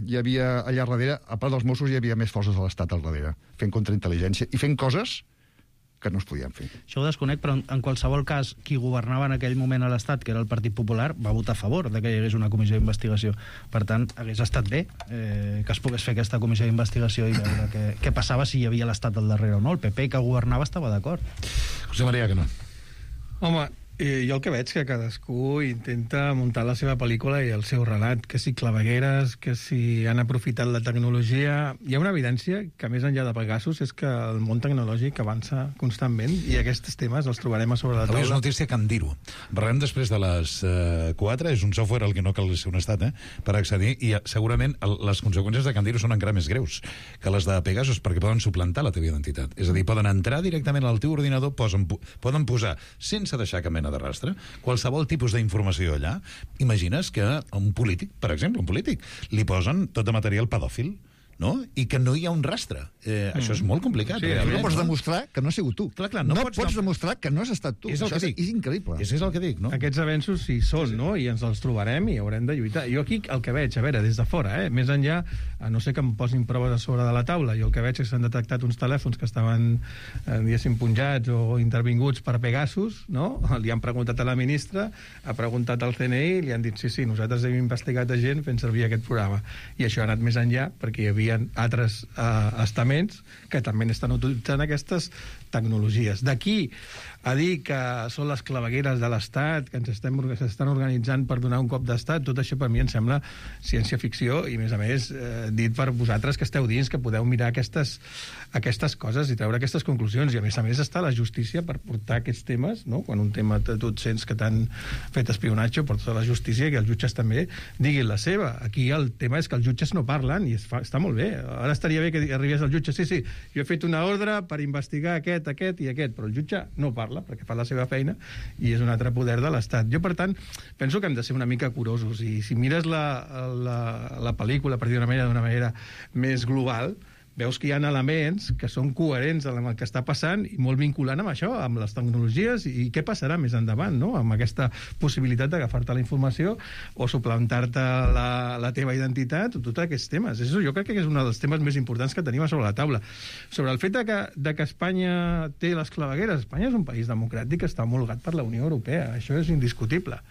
hi havia allà darrere, a part dels Mossos, hi havia més forces de l'Estat al darrere, fent contraintel·ligència i fent coses que no es podien fer. Això ho desconec, però en qualsevol cas, qui governava en aquell moment a l'Estat, que era el Partit Popular, va votar a favor de que hi hagués una comissió d'investigació. Per tant, hagués estat bé eh, que es pogués fer aquesta comissió d'investigació i veure què, què passava si hi havia l'Estat al darrere o no. El P P que governava estava d'acord. José María, que no. Home, eh, jo el que veig que cadascú intenta muntar la seva pel·lícula i el seu relat, que si clavegueres, que si han aprofitat la tecnologia. Hi ha una evidència que, més enllà de Pegasus, és que el món tecnològic avança constantment i aquests temes els trobarem a sobre la taula. Avui és notícia que em dir-ho. Parlem després de les eh, quatre, és un software al que no cal ser un estat, eh, per accedir, i segurament el, les conseqüències de Candiro són encara més greus que les de Pegasus, perquè poden suplantar la teva identitat. És a dir, poden entrar directament al teu ordinador, posen, poden posar, sense deixar cap mena de rastre, qualsevol tipus d'informació allà. Imagines que a un polític, per exemple, un polític, li posen tot de material pedòfil, no? I que no hi ha un rastre. Eh, mm. Això és molt complicat. Sí, realment, no pots demostrar que no has sigut tu. Clar, clar, no, no pots, pots demostrar que no has estat tu. És el Això que dic. És increïble. És, és el que dic, no? Aquests avenços sí són, sí, sí. no? I ens els trobarem i haurem de lluitar. Jo aquí el que veig, a veure, des de fora, eh? més enllà, a no sé que em posin proves a sobre de la taula, jo el que veig és que s'han detectat uns telèfons que estaven, eh, diguéssim, punjats o intervinguts per Pegasus, no? Li han preguntat a la ministra, ha preguntat al C N I, li han dit, sí, sí, nosaltres hem investigat a gent fent servir aquest programa. I això ha anat més enllà, perquè hi havia altres eh, estaments que també estan utilitzant aquestes tecnologies. D'aquí a dir que són les clavegueres de l'Estat, que ens estem, s'estan organitzant per donar un cop d'Estat, tot això per mi em sembla ciència-ficció i, a més a més, eh, dit per vosaltres que esteu dins, que podeu mirar aquestes, aquestes coses i treure aquestes conclusions. I, a més a més, està la justícia per portar aquests temes, no? Quan un tema tu et sents que t'han fet espionatge, porta la justícia i que els jutges també diguin la seva. Aquí el tema és que els jutges no parlen i es fa, està molt bé. Ara estaria bé que arribés el jutge, sí, sí, jo he fet una ordre per investigar aquest, aquest i aquest, però el jutge no parla. parla, perquè fa la seva feina i és un altre poder de l'Estat. Jo, per tant, penso que hem de ser una mica curosos, i si mires la, la, la pel·lícula, per dir d'una manera, d'una manera més global, veus que hi ha elements que són coherents amb el que està passant i molt vinculant amb això, amb les tecnologies, i què passarà més endavant, no?, amb aquesta possibilitat d'agafar-te la informació o suplantar-te la, la teva identitat, o tots aquests temes. Això jo crec que és un dels temes més importants que tenim a sobre la taula. Sobre el fet de que, de que Espanya té les clavegueres, Espanya és un país democràtic que està homologat per la Unió Europea, això és indiscutible.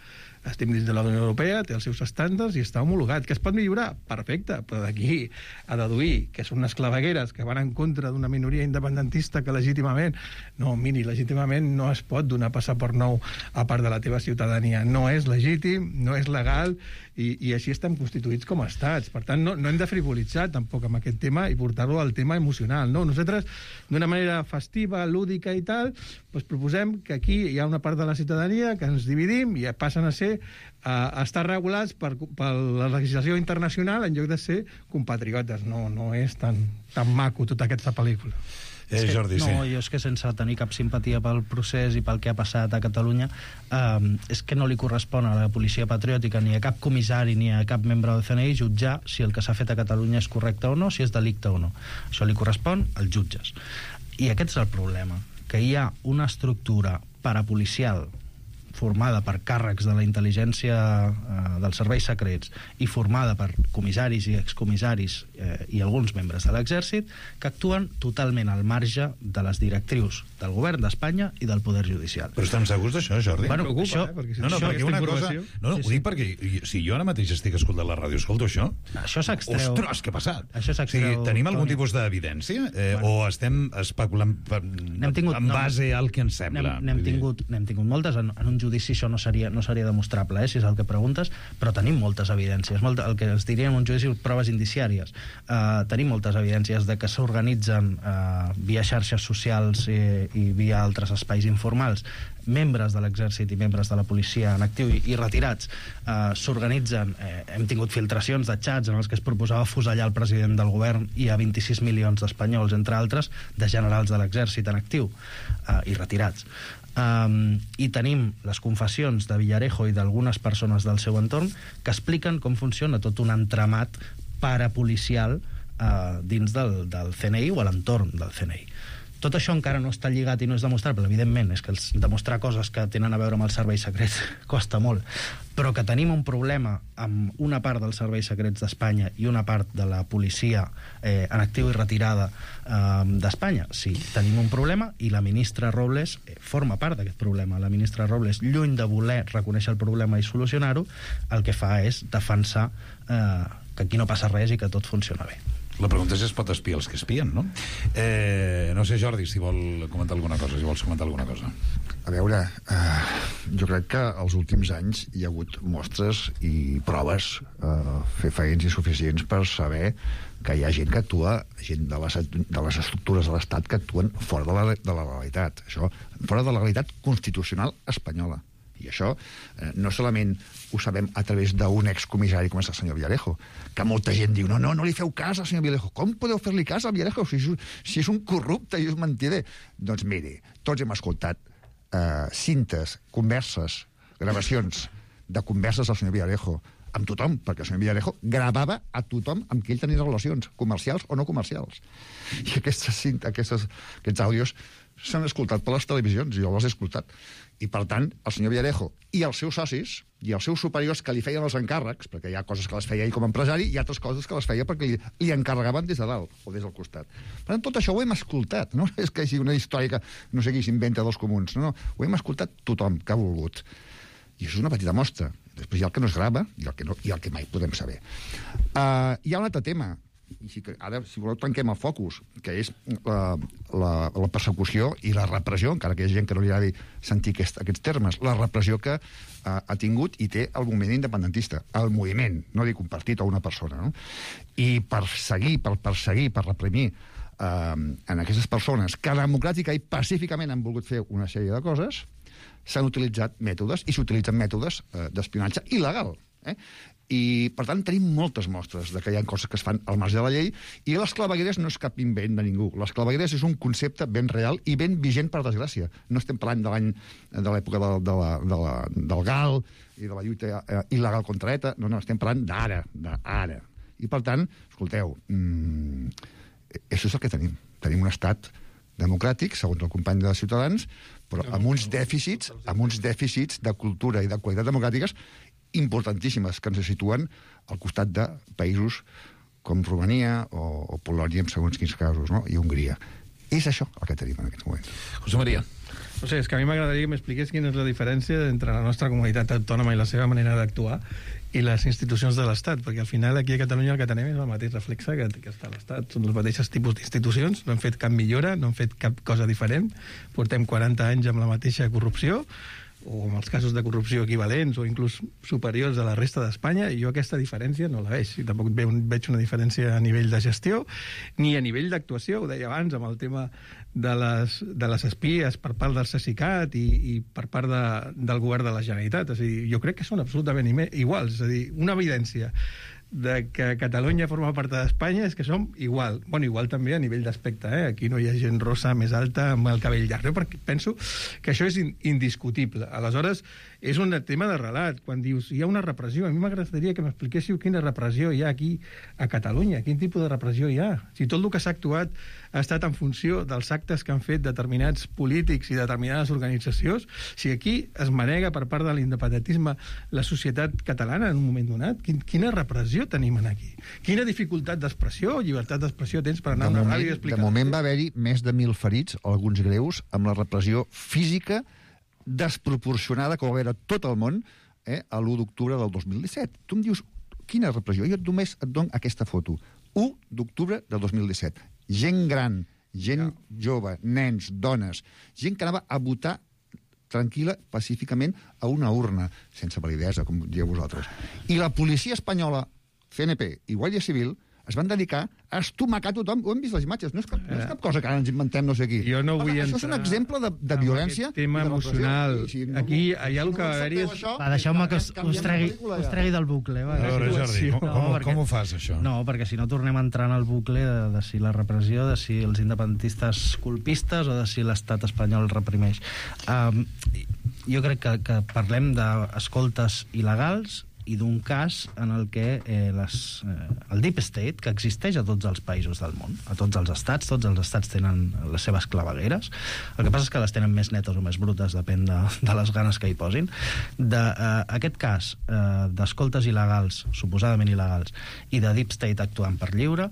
Estem dins de la Unió Europea, té els seus estàndards i està homologat. Que es pot millorar? Perfecte, però d'aquí a deduir que són unes clavegueres que van en contra d'una minoria independentista que legítimament... No, miri, legítimament no es pot donar passaport nou a part de la teva ciutadania. No és legítim, no és legal, i, i així estem constituïts com a estats. Per tant, no, no hem de frivolitzar tampoc amb aquest tema i portar-lo al tema emocional. No? Nosaltres, d'una manera festiva, lúdica i tal, doncs proposem que aquí hi ha una part de la ciutadania que ens dividim i passen a ser a estar regulats per, per la legislació internacional en lloc de ser compatriotes. No, no és tan, tan maco tota aquesta pel·lícula. Eh, que, Jordi, no, sí. jo és que sense tenir cap simpatia pel procés i pel que ha passat a Catalunya, eh, és que no li correspon a la policia patriòtica, ni a cap comissari, ni a cap membre del C N I jutjar si el que s'ha fet a Catalunya és correcte o no, si és delicte o no. Això li correspon als jutges. I aquest és el problema, que hi ha una estructura parapolicial formada per càrrecs de la intel·ligència eh, dels serveis secrets i formada per comissaris i excomissaris eh, i alguns membres de l'exèrcit que actuen totalment al marge de les directrius del govern d'Espanya i del poder judicial. Però estem segurs d'això, Jordi? Bueno, preocupa, això, eh, perquè si no, no, això, perquè una cosa... informació... No, no, Sí, ho sí. dic perquè si jo ara mateix estic escoltant la ràdio, escolto això... Això s'extreu... Ostres, què ha passat? Això O s'extreu... sigui, tenim algun Toni. tipus d'evidència? Eh, Bueno. o estem especulant per, tingut, en no, base al que ens sembla? N'hem Vull dir- tingut, n'hem tingut moltes. En, en un judici això no seria, no seria demostrable, eh, si és el que preguntes, però tenim moltes evidències. Molt, el que es diria en un judici proves indiciàries. Uh, tenim moltes evidències de que s'organitzen uh, via xarxes socials i, i via altres espais informals membres de l'exèrcit i membres de la policia en actiu i, i retirats eh, s'organitzen, eh, hem tingut filtracions de xats en els que es proposava fusellar el president del govern i a vint-i-sis milions d'espanyols, entre altres, de generals de l'exèrcit en actiu eh, i retirats. Um, i tenim les confessions de Villarejo i d'algunes persones del seu entorn que expliquen com funciona tot un entramat parapolicial uh, dins del, del C N I o a l'entorn del C N I. Tot això encara no està lligat i no és demostrable, evidentment, és que els, demostrar coses que tenen a veure amb els serveis secrets costa molt, però que tenim un problema amb una part dels serveis secrets d'Espanya i una part de la policia eh, en actiu i retirada eh, d'Espanya. Sí, tenim un problema i la ministra Robles eh, forma part d'aquest problema. La ministra Robles, lluny de voler reconèixer el problema i solucionar-ho, el que fa és defensar eh, que aquí no passa res i que tot funciona bé. La pregunta és si es pot espiar els que espien, no? Eh, no sé, Jordi, si vol comentar alguna cosa, si vols comentar alguna cosa. A veure, eh, jo crec que els últims anys hi ha hagut mostres i proves eh, fefaents i suficients per saber que hi ha gent que actua, gent de les, de les estructures de l'Estat que actuen fora de la, de la legalitat. Això, fora de la legalitat constitucional espanyola. I això eh, no solament ho sabem a través d'un excomissari com és el senyor Villarejo, que molta gent diu, no, no, no li feu cas al senyor Villarejo. Com podeu fer-li cas al Villarejo si és, si és un corrupte i és mentider? Doncs miri, tots hem escoltat eh, cintes, converses, gravacions de converses del senyor Villarejo amb tothom, perquè el senyor Villarejo gravava a tothom amb qui ell tenia relacions, comercials o no comercials. I aquestes, aquestes, aquests àudios s'han escoltat per les televisions, jo els he escoltat. I, per tant, el senyor Villarejo i els seus socis i els seus superiors que li feien els encàrrecs, perquè hi ha coses que les feia ell com a empresari i altres coses que les feia perquè li, li encarregaven des de dalt o des del costat. Per tant, tot això ho hem escoltat, no és que sigui una història que no sé qui s'inventa dels comuns, no, no, ho hem escoltat tothom que ha volgut. I això és una petita mostra. Després hi ha el que no es grava i el que, no, i el que mai podem saber. Uh, hi ha un altre tema, i si, ara, si voleu, tanquem el focus, que és la, la, la persecució i la repressió, encara que hi ha gent que no li agradi sentir aquest, aquests termes, la repressió que uh, ha tingut i té el moviment independentista, el moviment, no dic un partit o una persona, no? I per seguir, per perseguir, per reprimir uh, en aquestes persones que democràtica i pacíficament han volgut fer una sèrie de coses, s'han utilitzat mètodes i s'utilitzen mètodes uh, d'espionatge il·legal. Eh? I, per tant, tenim moltes mostres de que hi ha coses que es fan al marge de la llei, i les clavegueres no és cap invent de ningú. Les clavegueres és un concepte ben real i ben vigent, per desgràcia. No estem parlant de l'any de l'època de, de la, de la, del gal i de la lluita eh, il·legal contra ETA. No, no, estem parlant d'ara, d'ara. I, per tant, escolteu, mmm, això és el que tenim. Tenim un estat democràtic, segons el company de Ciutadans, però amb uns dèficits, amb uns dèficits de cultura i de qualitat democràtiques importantíssimes, que ens situen al costat de països com Romania o, o Polònia, en segons quins casos, no? I Hongria. És això el que tenim en aquests moments. José María. No sé, és que a mi m'agradaria que m'expliqués quina és la diferència entre la nostra comunitat autònoma i la seva manera d'actuar i les institucions de l'Estat, perquè al final aquí a Catalunya el que tenim és el mateix reflexe que, que està a l'Estat. Són els mateixos tipus d'institucions, no hem fet cap millora, no hem fet cap cosa diferent, portem quaranta anys amb la mateixa corrupció, o en els casos de corrupció equivalents o inclús superiors a la resta d'Espanya, i jo aquesta diferència no la veig. I tampoc veig una diferència a nivell de gestió ni a nivell d'actuació. Ho deia abans amb el tema de les, de les espies per part del Cesicat i, i per part de, del govern de la Generalitat. És a dir, jo crec que són absolutament iguals. És a dir, una evidència de que Catalunya forma part d'Espanya és que som igual. Bueno, igual també a nivell d'aspecte, eh? Aquí no hi ha gent rossa més alta amb el cabell llarg, perquè penso que això és indiscutible. Aleshores, és un tema de relat. Quan dius, hi ha una repressió, a mi m'agradaria que m'expliquéssiu quina repressió hi ha aquí a Catalunya, quin tipus de repressió hi ha. Si tot el que s'ha actuat ha estat en funció dels actes que han fet determinats polítics i determinades organitzacions, si aquí es manega per part de l'independentisme la societat catalana en un moment donat, quina repressió tenim aquí? Quina dificultat d'expressió o llibertat d'expressió tens per anar a una ràdio i explicar? De moment va haver-hi més de mil ferits, alguns greus, amb la repressió física desproporcionada que va haver a tot el món eh, a l'u d'octubre del dos mil disset. Tu em dius, quina repressió? Jo només et dono aquesta foto. u d'octubre del dos mil disset. Gent gran, gent jove, nens, dones, gent que anava a votar tranquil·la, pacíficament, a una urna, sense validesa, com dieu vosaltres. I la policia espanyola, C N P i Guàrdia Civil, es van dedicar a estomacar tothom. Ho hem vist les imatges, no és cap, no és cap cosa que ara ens inventem no sé qui. Jo no vull Home, això és un exemple de, de violència. Tema de emocional. I, si no, aquí hi ha el que va haver-hi... Va, deixeu-me que us, us, tregui, us tregui del bucle. Va. A veure, Jordi, com, com, no, perquè, com ho fas, això? No, perquè si no tornem a entrar en el bucle de, de si la repressió, de si els independentistes colpistes o de si l'estat espanyol reprimeix. Um, jo crec que, que parlem d'escoltes il·legals i d'un cas en el que eh, les, eh, el Deep State, que existeix a tots els països del món, a tots els estats, tots els estats tenen les seves clavegueres, el que passa és que les tenen més netes o més brutes, depèn de, de les ganes que hi posin. De, eh, aquest cas eh, d'escoltes il·legals, suposadament il·legals, i de Deep State actuant per lliure,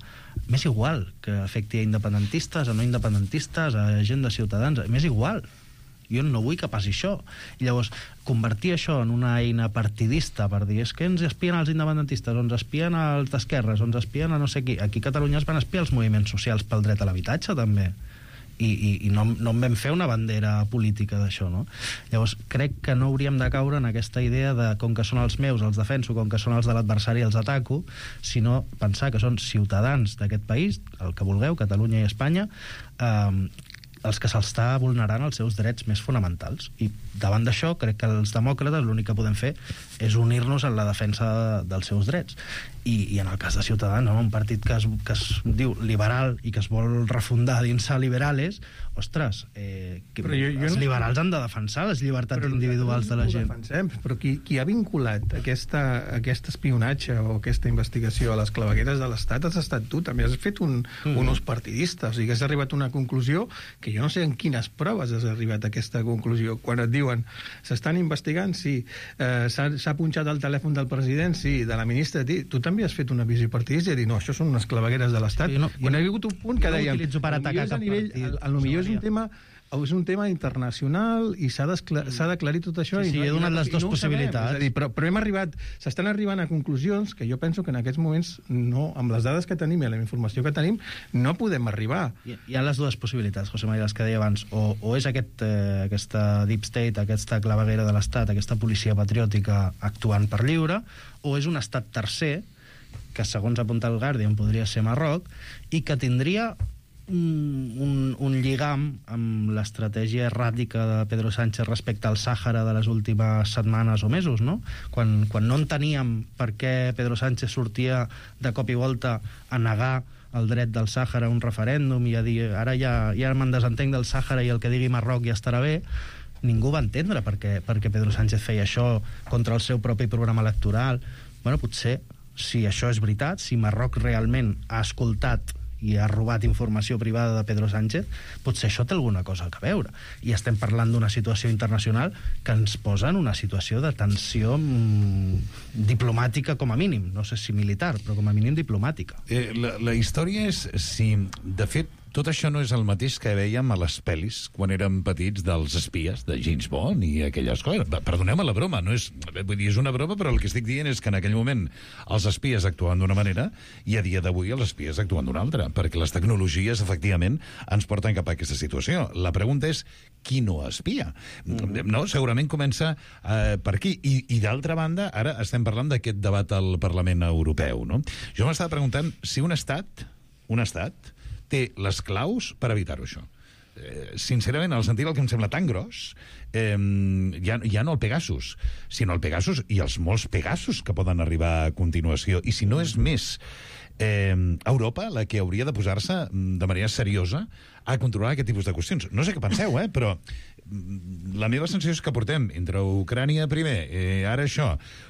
m'és igual que afecti a independentistes, a no independentistes, a gent de Ciutadans, m'és igual. Jo no vull que passi això. I llavors, convertir això en una eina partidista per dir, és que ens espien els independentistes, o ens espien els d'esquerres, o ens espien a no sé qui. Aquí a Catalunya es van espiar els moviments socials pel dret a l'habitatge, també. I, i, i no, no en vam fer una bandera política d'això, no? Llavors, crec que no hauríem de caure en aquesta idea de com que són els meus, els defenso, com que són els de l'adversari, els ataco, sinó pensar que són ciutadans d'aquest país, el que vulgueu, Catalunya i Espanya, eh, els que s'està vulnerant els seus drets més fonamentals. I davant d'això, crec que els demòcrates l'únic que podem fer és unir-nos en la defensa dels seus drets. I, i en el cas de Ciutadans, no? Un partit que es, que es diu liberal i que es vol refundar dins a liberales, ostres, eh, que jo, jo els no... liberals han de defensar les llibertats individuals de la gent. Defensem, però qui, qui ha vinculat aquesta, aquest espionatge o aquesta investigació a les clavegueres de l'Estat has estat tu, també has fet un, mm. un ús partidista, o sigui que has arribat a una conclusió que jo no sé en quines proves has arribat a aquesta conclusió. Quan et diuen s'estan investigant, sí, eh, s'ha punxat el telèfon del president, sí, de la ministra, tu també has fet una visió partidista i dir, no, això són unes clavegueres de l'Estat. Sí, no, quan hi ha hagut un punt que no dèiem, potser és un tema és un tema internacional i s'ha d'aclarir tot això. Sí, sí, i no, he donat les dues no possibilitats. Dir, però, però hem arribat, s'estan arribant a conclusions que jo penso que en aquests moments, no, amb les dades que tenim i la informació que tenim, no podem arribar. Hi, hi ha les dues possibilitats, José María, les que deia abans. O, o és aquest, eh, aquesta deep state, aquesta claveguera de l'Estat, aquesta policia patriòtica actuant per lliure, o és un estat tercer, que segons apunta el Guardian podria ser Marroc, i que tindria un, un, un lligam amb l'estratègia erràtica de Pedro Sánchez respecte al Sàhara de les últimes setmanes o mesos, no? Quan, quan no enteníem per què Pedro Sánchez sortia de cop i volta a negar el dret del Sàhara a un referèndum i a dir ara ja, ja me'n desentenc del Sàhara i el que digui Marroc ja estarà bé, ningú va entendre per què, per què Pedro Sánchez feia això contra el seu propi programa electoral. Bueno, potser, si això és veritat, si Marroc realment ha escoltat i ha robat informació privada de Pedro Sánchez, potser això té alguna cosa a veure. I estem parlant d'una situació internacional que ens posa en una situació de tensió mmm, diplomàtica com a mínim. No sé si militar, però com a mínim diplomàtica. Eh, la, la història és si, de fet, tot això no és el mateix que veiem a les pel·lis quan érem petits dels espies, de James Bond i aquelles coses. Perdoneu-me la broma, no és, vull dir, és una broma, però el que estic dient és que en aquell moment els espies actuaven d'una manera i a dia d'avui els espies actuen d'una altra, perquè les tecnologies, efectivament, ens porten cap a aquesta situació. La pregunta és, qui no espia? Mm-hmm. No? Segurament comença eh, per aquí. I, i d'altra banda, ara estem parlant d'aquest debat al Parlament Europeu, no? Jo m'estava preguntant si un estat, un estat, té les claus per evitar-ho, això. Eh, sincerament, al sentit el que em sembla tan gros, eh, ja, ja no el Pegasus, sinó el Pegasus i els molts Pegasus que poden arribar a continuació. I si no és més eh, Europa la que hauria de posar-se de manera seriosa a controlar aquest tipus de qüestions. No sé què penseu, eh, però la meva sensació és que portem entre Ucrània primer, eh, ara això,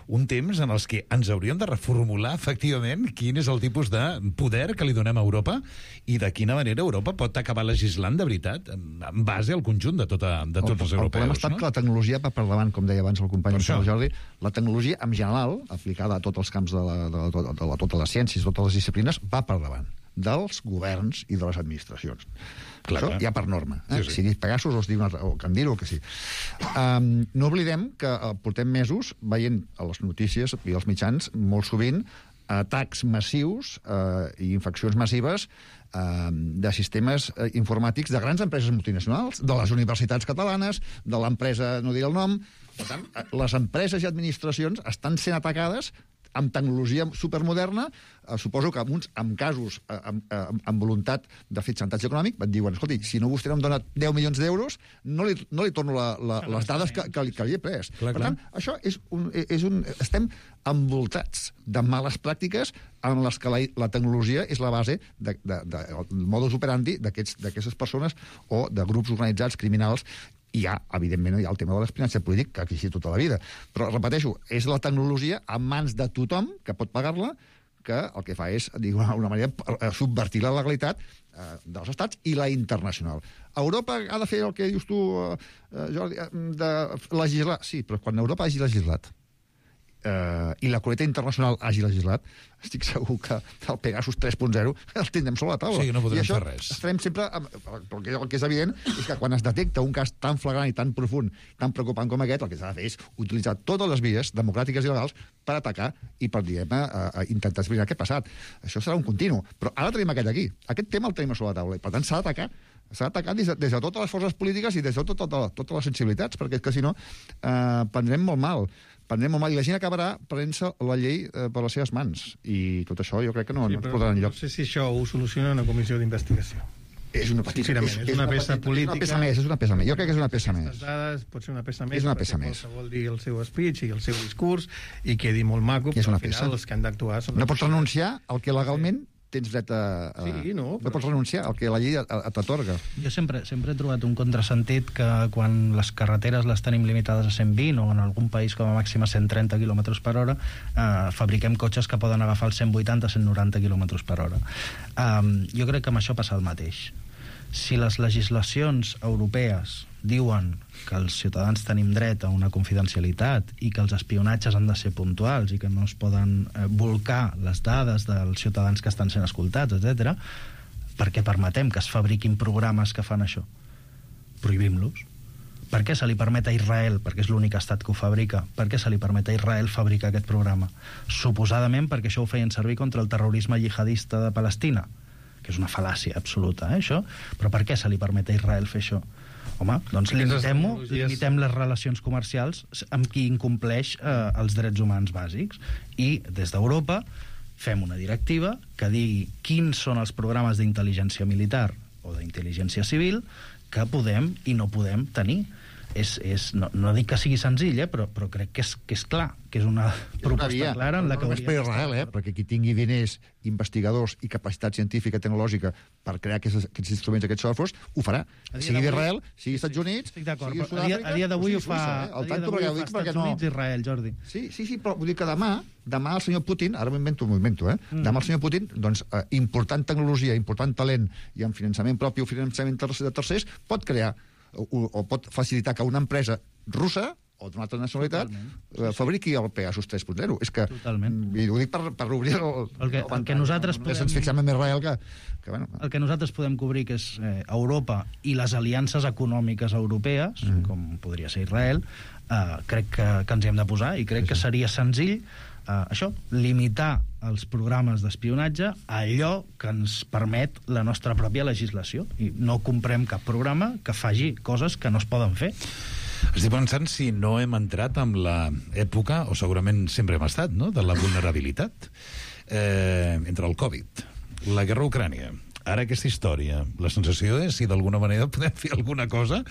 un temps en els que ens hauríem de reformular efectivament quin és el tipus de poder que li donem a Europa i de quina manera Europa pot acabar legislant de veritat en base al conjunt de, tota, de tots el, els europeus. El problema ha estat, no? Que la tecnologia va per davant, com deia abans el company Jordi, la tecnologia en general, aplicada a tots els camps de, la, de, la, de, la, de totes les ciències, totes les disciplines, va per davant dels governs i de les administracions. Clar, això ja per norma. Eh? Sí, sí. Si dius Pegasus o, si una, o Candir o que sí. Um, no oblidem que uh, portem mesos veient a les notícies i als mitjans molt sovint atacs massius uh, i infeccions massives uh, de sistemes uh, informàtics de grans empreses multinacionals, de les universitats catalanes, de l'empresa, no diré el nom. Per tant, les empreses i administracions estan sent atacades amb tecnologia supermoderna, eh, suposo que amb, uns, amb casos eh, amb, amb, amb voluntat de fer xantatge econòmic, et diuen, escolti, si no vostè no em dona deu milions d'euros, no li, no li torno la, la, les dades que, que, li, que li he pres. Clar, per tant, clar. Això és un, és un... Estem envoltats de males pràctiques en les que la, la tecnologia és la base de, de, de, de modus operandi d'aquestes persones o de grups organitzats criminals. I hi ha, evidentment, hi ha el tema de l'espionatge polític, que ha existit tota la vida. Però, repeteixo, és la tecnologia en mans de tothom que pot pagar-la, que el que fa és, d'una manera, subvertir la legalitat eh, dels estats i la internacional. Europa ha de fer el que dius tu, eh, Jordi, de legislar. Sí, però quan Europa hagi legislat eh, i la comunitat internacional hagi legislat, estic segur que el Pegasus tres punt zero el tindrem sobre la taula. Sí, no podrem I això fer res. Estarem sempre... Perquè el que és evident és que quan es detecta un cas tan flagrant i tan profund, tan preocupant com aquest, el que s'ha de fer és utilitzar totes les vies democràtiques i legals per atacar i per, diguem, a, a intentar esbrinar què ha passat. Això serà un continu. Però ara tenim aquest aquí. Aquest tema el tenim sobre la taula. I, per tant, s'ha d'atacar. S'ha d'atacar des, de, des de totes les forces polítiques i des de tot, tot, totes les sensibilitats, perquè és que, si no, eh, prendrem molt mal. Prendrem molt mal. I la gent acabarà prenent-se la llei eh, per les seves mans. I tot això jo crec que no, sí, no ens portarà enlloc. No sé si això ho soluciona una comissió d'investigació. És una petita, és, és una peça petita, política. És una peça més, és una peça més. Jo crec que és una peça més. Les dades pot ser una peça més. És una peça més. Qualsevol dir el seu speech i el seu discurs i quedi molt maco, però al final peça. Els que han d'actuar són... No pots renunciar al que legalment tens dret a... a... Sí, no, no pots renunciar al que la llei t'atorga. Jo sempre, sempre he trobat un contrasentit que quan les carreteres les tenim limitades a cent vint o en algun país com a màxim a cent trenta quilòmetres per hora, eh, fabriquem cotxes que poden agafar els cent vuitanta a cent noranta quilòmetres per hora. Um, jo crec que amb això passa el mateix. Si les legislacions europees diuen que els ciutadans tenim dret a una confidencialitat i que els espionatges han de ser puntuals i que no es poden eh, volcar les dades dels ciutadans que estan sent escoltats, etcètera, per què permetem que es fabriquin programes que fan això? Prohibim-los. Per què se li permet a Israel, perquè és l'únic estat que ho fabrica, per què se li permet a Israel fabricar aquest programa? Suposadament perquè això ho feien servir contra el terrorisme jihadista de Palestina, que és una fal·làcia absoluta, eh, això? Però per què se li permet a Israel fer això? Home, doncs limitem-ho, limitem les relacions comercials amb qui incompleix eh, els drets humans bàsics. I des d'Europa fem una directiva que digui quins són els programes d'intel·ligència militar o d'intel·ligència civil que podem i no podem tenir. És, és, no, no dic que sigui senzill, eh, però, però crec que és, que és clar, que és una proposta via, clara en la que no només per Israel, eh, perquè qui tingui diners, investigadors i capacitat científica i tecnològica per crear aquests, aquests instruments, aquests softwares, ho farà. Sigui d'Israel, sigui Estats Units, sigui Sud-àfrica... A dia, a dia d'avui ho fa, eh? a dia d'avui ho fa Estats Units i Israel, Jordi. Sí, sí, sí, però vull dir que demà, demà el senyor Putin, ara m'ho invento, m'ho invento, eh? Mm. Demà el senyor Putin, doncs, eh, important tecnologia, important talent i amb finançament propi o finançament de tercers, pot crear o, o pot facilitar que una empresa russa o d'una altra nacionalitat eh, fabriqui el Pegasus tres punt zero. És que, i ho dic per, per obrir el... El que, el que nosaltres no, podem... ens fixem en Israel que... que bueno. El que nosaltres podem cobrir, que és eh, Europa i les aliances econòmiques europees, mm. com podria ser Israel, eh, crec que, que ens hi hem de posar i crec sí, sí. que seria senzill eh, això, limitar els programes d'espionatge a allò que ens permet la nostra pròpia legislació. I no comprem cap programa que faci coses que no es poden fer. Estic pensant si no hem entrat en l'època, o segurament sempre hem estat, no?, de la vulnerabilitat eh, entre el Covid, la guerra a Ucrània, ara aquesta història. La sensació és si d'alguna manera podem fer alguna cosa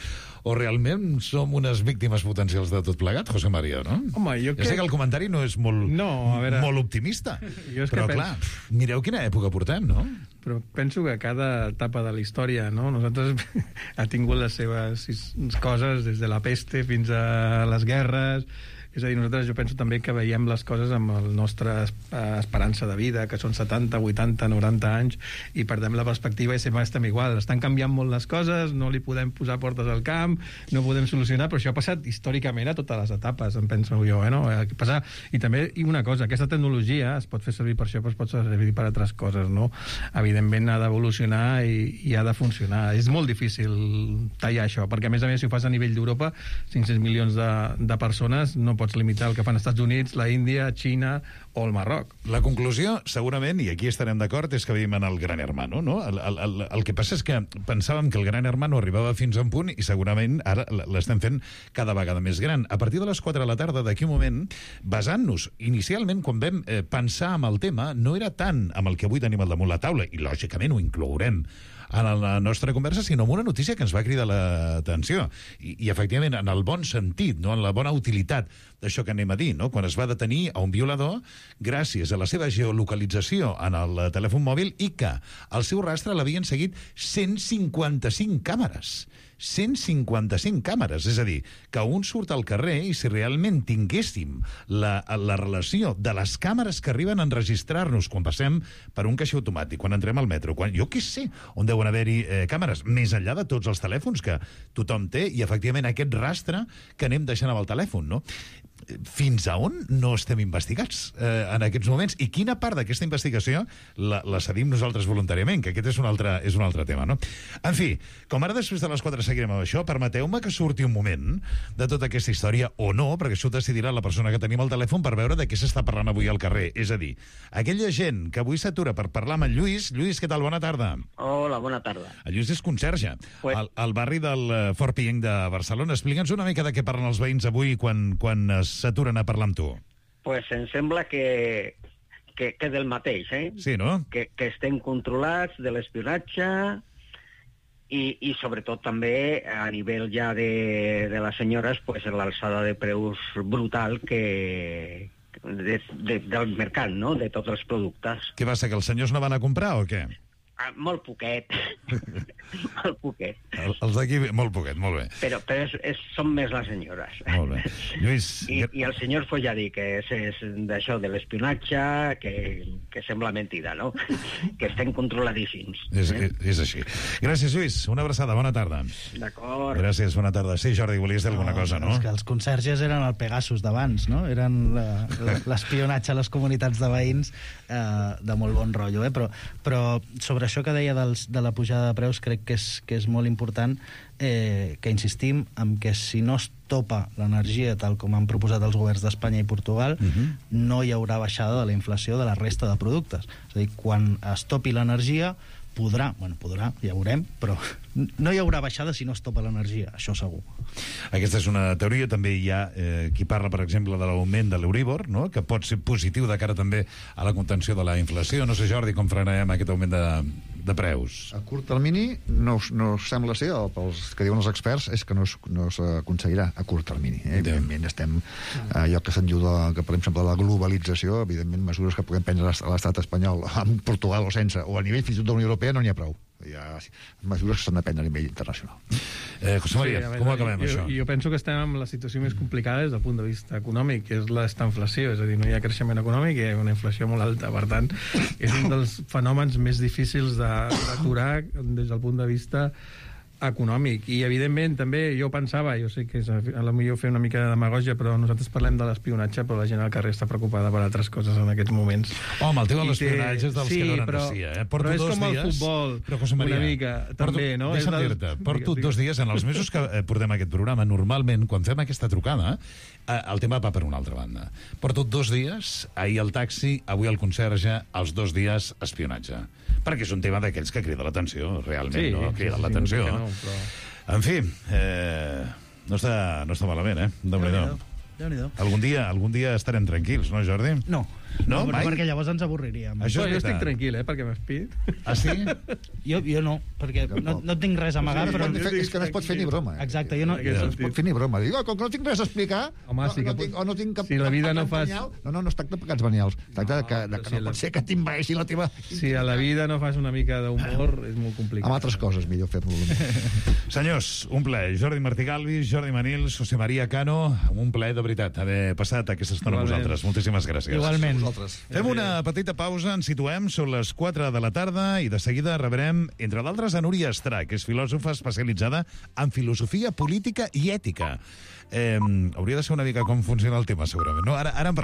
o realment som unes víctimes potencials de tot plegat, José María, no? Home, jo ja sé que el comentari no és molt, no, a veure... molt optimista, jo és però que clar, penso... mireu quina època portem, no? Però penso que cada etapa de la història, no? Nosaltres ha tingut les seves coses, des de la peste fins a les guerres. És a dir, nosaltres jo penso també que veiem les coses amb la nostra esperança de vida, que són setanta, vuitanta, noranta anys, i perdem la perspectiva i sempre estem igual. Estan canviant molt les coses, no li podem posar portes al camp, no podem solucionar, però això ha passat històricament a totes les etapes, em penso jo, eh, no? Passar... I també, i una cosa, aquesta tecnologia es pot fer servir per això, però es pot servir per altres coses, no? Evidentment ha d'evolucionar i, i ha de funcionar. És molt difícil tallar això, perquè a més a més, si ho fas a nivell d'Europa, cinc-cents milions de, de persones, no pots limitar el que fan els Estats Units, la Índia, Xina o el Marroc. La conclusió, segurament, i aquí estarem d'acord, és que vivim en el Gran Hermano, no? El, el, el, el que passa és que pensàvem que el Gran Hermano arribava fins a un punt i segurament ara l'estem fent cada vegada més gran. A partir de les quatre de la tarda, d'aquí un moment, basant-nos, inicialment, quan vam eh, pensar en el tema, no era tant amb el que avui tenim al damunt la taula, i lògicament ho inclourem en la nostra conversa, sinó amb una notícia que ens va cridar l'atenció. I, i efectivament, en el bon sentit, no? En la bona utilitat d'això que anem a dir, no? Quan es va detenir a un violador gràcies a la seva geolocalització en el telèfon mòbil i que al seu rastre l'havien seguit cent cinquanta-cinc càmeres. cent cinquanta-cinc càmeres, és a dir, que un surt al carrer i si realment tinguéssim la, la relació de les càmeres que arriben a enregistrar-nos quan passem per un caixer automàtic, quan entrem al metro, quan, jo què sé, on deuen haver-hi eh, càmeres, més enllà de tots els telèfons que tothom té i efectivament aquest rastre que anem deixant amb el telèfon, no? Fins a on no estem investigats eh, en aquests moments i quina part d'aquesta investigació la, la cedim nosaltres voluntàriament, que aquest és un altre, és un altre tema, no? En fi, com ara després de les quatre seguirem amb això, permeteu-me que surti un moment de tota aquesta història o no, perquè això ho decidirà la persona que tenim al telèfon per veure de què s'està parlant avui al carrer. És a dir, aquella gent que avui s'atura per parlar amb en Lluís. Lluís, què tal? Bona tarda. Hola, bona tarda. El Lluís és conserge pues... al, al barri del Fort Pienc de Barcelona. Explica'ns una mica de què parlen els veïns avui quan, quan s'aturen a parlar amb tu. Pues em sembla que, que, que del mateix, eh? Sí, no? Que, que estem controlats de l'espionatge i, i sobretot també a nivell ja de, de les senyores, pues l'alçada de preus brutal que, de, de, del mercat, no?, de tots els productes. Què passa, que els senyors no van a comprar o què? Ah, molt poquet. molt poquet. El, els d'aquí, molt poquet, molt bé. Però, però és, és, són més les senyores. Molt bé. Lluís... I, i el senyor pues, ja dic que és, és d'això de l'espionatge, que, que sembla mentida, no? Que estem controladíssims. És, eh? és, és així. Gràcies, Lluís. Una abraçada. Bona tarda. D'acord. Gràcies, bona tarda. Sí, Jordi, volies dir no, alguna cosa, no? És que els conserges eren el Pegasus d'abans, no? Eren l'espionatge a les comunitats de veïns eh, de molt bon rotllo, eh? Però, però sobre això que deia dels, de la pujada de preus crec que és, que és molt important eh, que insistim en que si no es topa l'energia tal com han proposat els governs d'Espanya i Portugal, uh-huh. no hi haurà baixada de la inflació de la resta de productes. És a dir, quan es topi l'energia podrà, bueno, podrà, ja veurem, però no hi haurà baixada si no es topa l'energia, això segur. Aquesta és una teoria. També hi ha eh, qui parla, per exemple, de l'augment de l'Euríbor, no?, que pot ser positiu de cara també a la contenció de la inflació. No sé, Jordi, com frenarem aquest augment de, de preus. A curt termini no, no sembla ser, el, pels que diuen els experts, és que no, es, no s'aconseguirà a curt termini. Eh? Evidentment estem, eh, allò que se'n diu de, que per exemple de la globalització, evidentment mesures que puguem prendre a l'estat espanyol, amb Portugal o sense, o a nivell fins i tot de la Unió Europea, no n'hi ha prou. Hi ha mesures que s'han de prendre a nivell internacional. Eh, José María, sí, com ho acabem, jo, això? Jo penso que estem en la situació més complicada des del punt de vista econòmic, que és l'estanflació, és a dir, no hi ha creixement econòmic, hi ha una inflació molt alta, per tant, és un dels fenòmens més difícils d'aturar des del punt de vista econòmic. I, evidentment, també jo pensava, jo sé que és a lo millor fer una mica de demagògia, però nosaltres parlem de l'espionatge, però la gent al carrer està preocupada per altres coses en aquests moments. Home, el tema de l'espionatge és dels sí, que donen però, racia, eh? Porto però és dos com el dies, futbol, però, José María, una mica, porto, també, no? Deixa'm és dir-te, dels... porto digues, dos dies, en els mesos que portem aquest programa, normalment, quan fem aquesta trucada, eh, el tema va per una altra banda. Porto dos dies, ahir el taxi, avui el conserge, els dos dies espionatge. Perquè és un tema d'aquells que crida l'atenció, realment, sí, no? Crida sí, l'atenció. Sí, no, però... En fi, eh, no, està, no està malament, eh? Déu-n'hi-do. Déu-n'hi-do. Algun dia, algun dia estarem tranquils, no, Jordi? No. No, no mai? perquè llavors ens avorriríem. Això jo estic tranquil, eh, perquè m'espit. Ah, sí? jo, jo no, perquè no, no tinc res a amagar. Sí, però... fer, és que no es pot fer ni broma. Eh? Exacte, jo no... No es pot fer ni broma. Dic, oh, com que no tinc res a explicar, Home, no, sí que no, tinc, o no tinc cap... si la vida no fas... fas... No, no, no es tracta de pecats venials. Es tracta de que, de que no pot ser que t'invaeixi la teva... Si a la vida no fas una mica d'humor, és molt complicat. Amb altres coses, millor fer-lo. Senyors, un plaer. Jordi Martí Galvis, Jordi Manils, José María Cano, un plaer de veritat haver passat aquesta estona amb vosaltres. Moltíssimes gràcies. Igualment. Fem una petita pausa, ens situem, són les quatre de la tarda i de seguida rebrem, entre d'altres, a Núria Estrà, que és filòsofa especialitzada en filosofia política i ètica. Eh, hauria de ser una mica com funciona el tema, segurament. No? Ara, ara en parlem.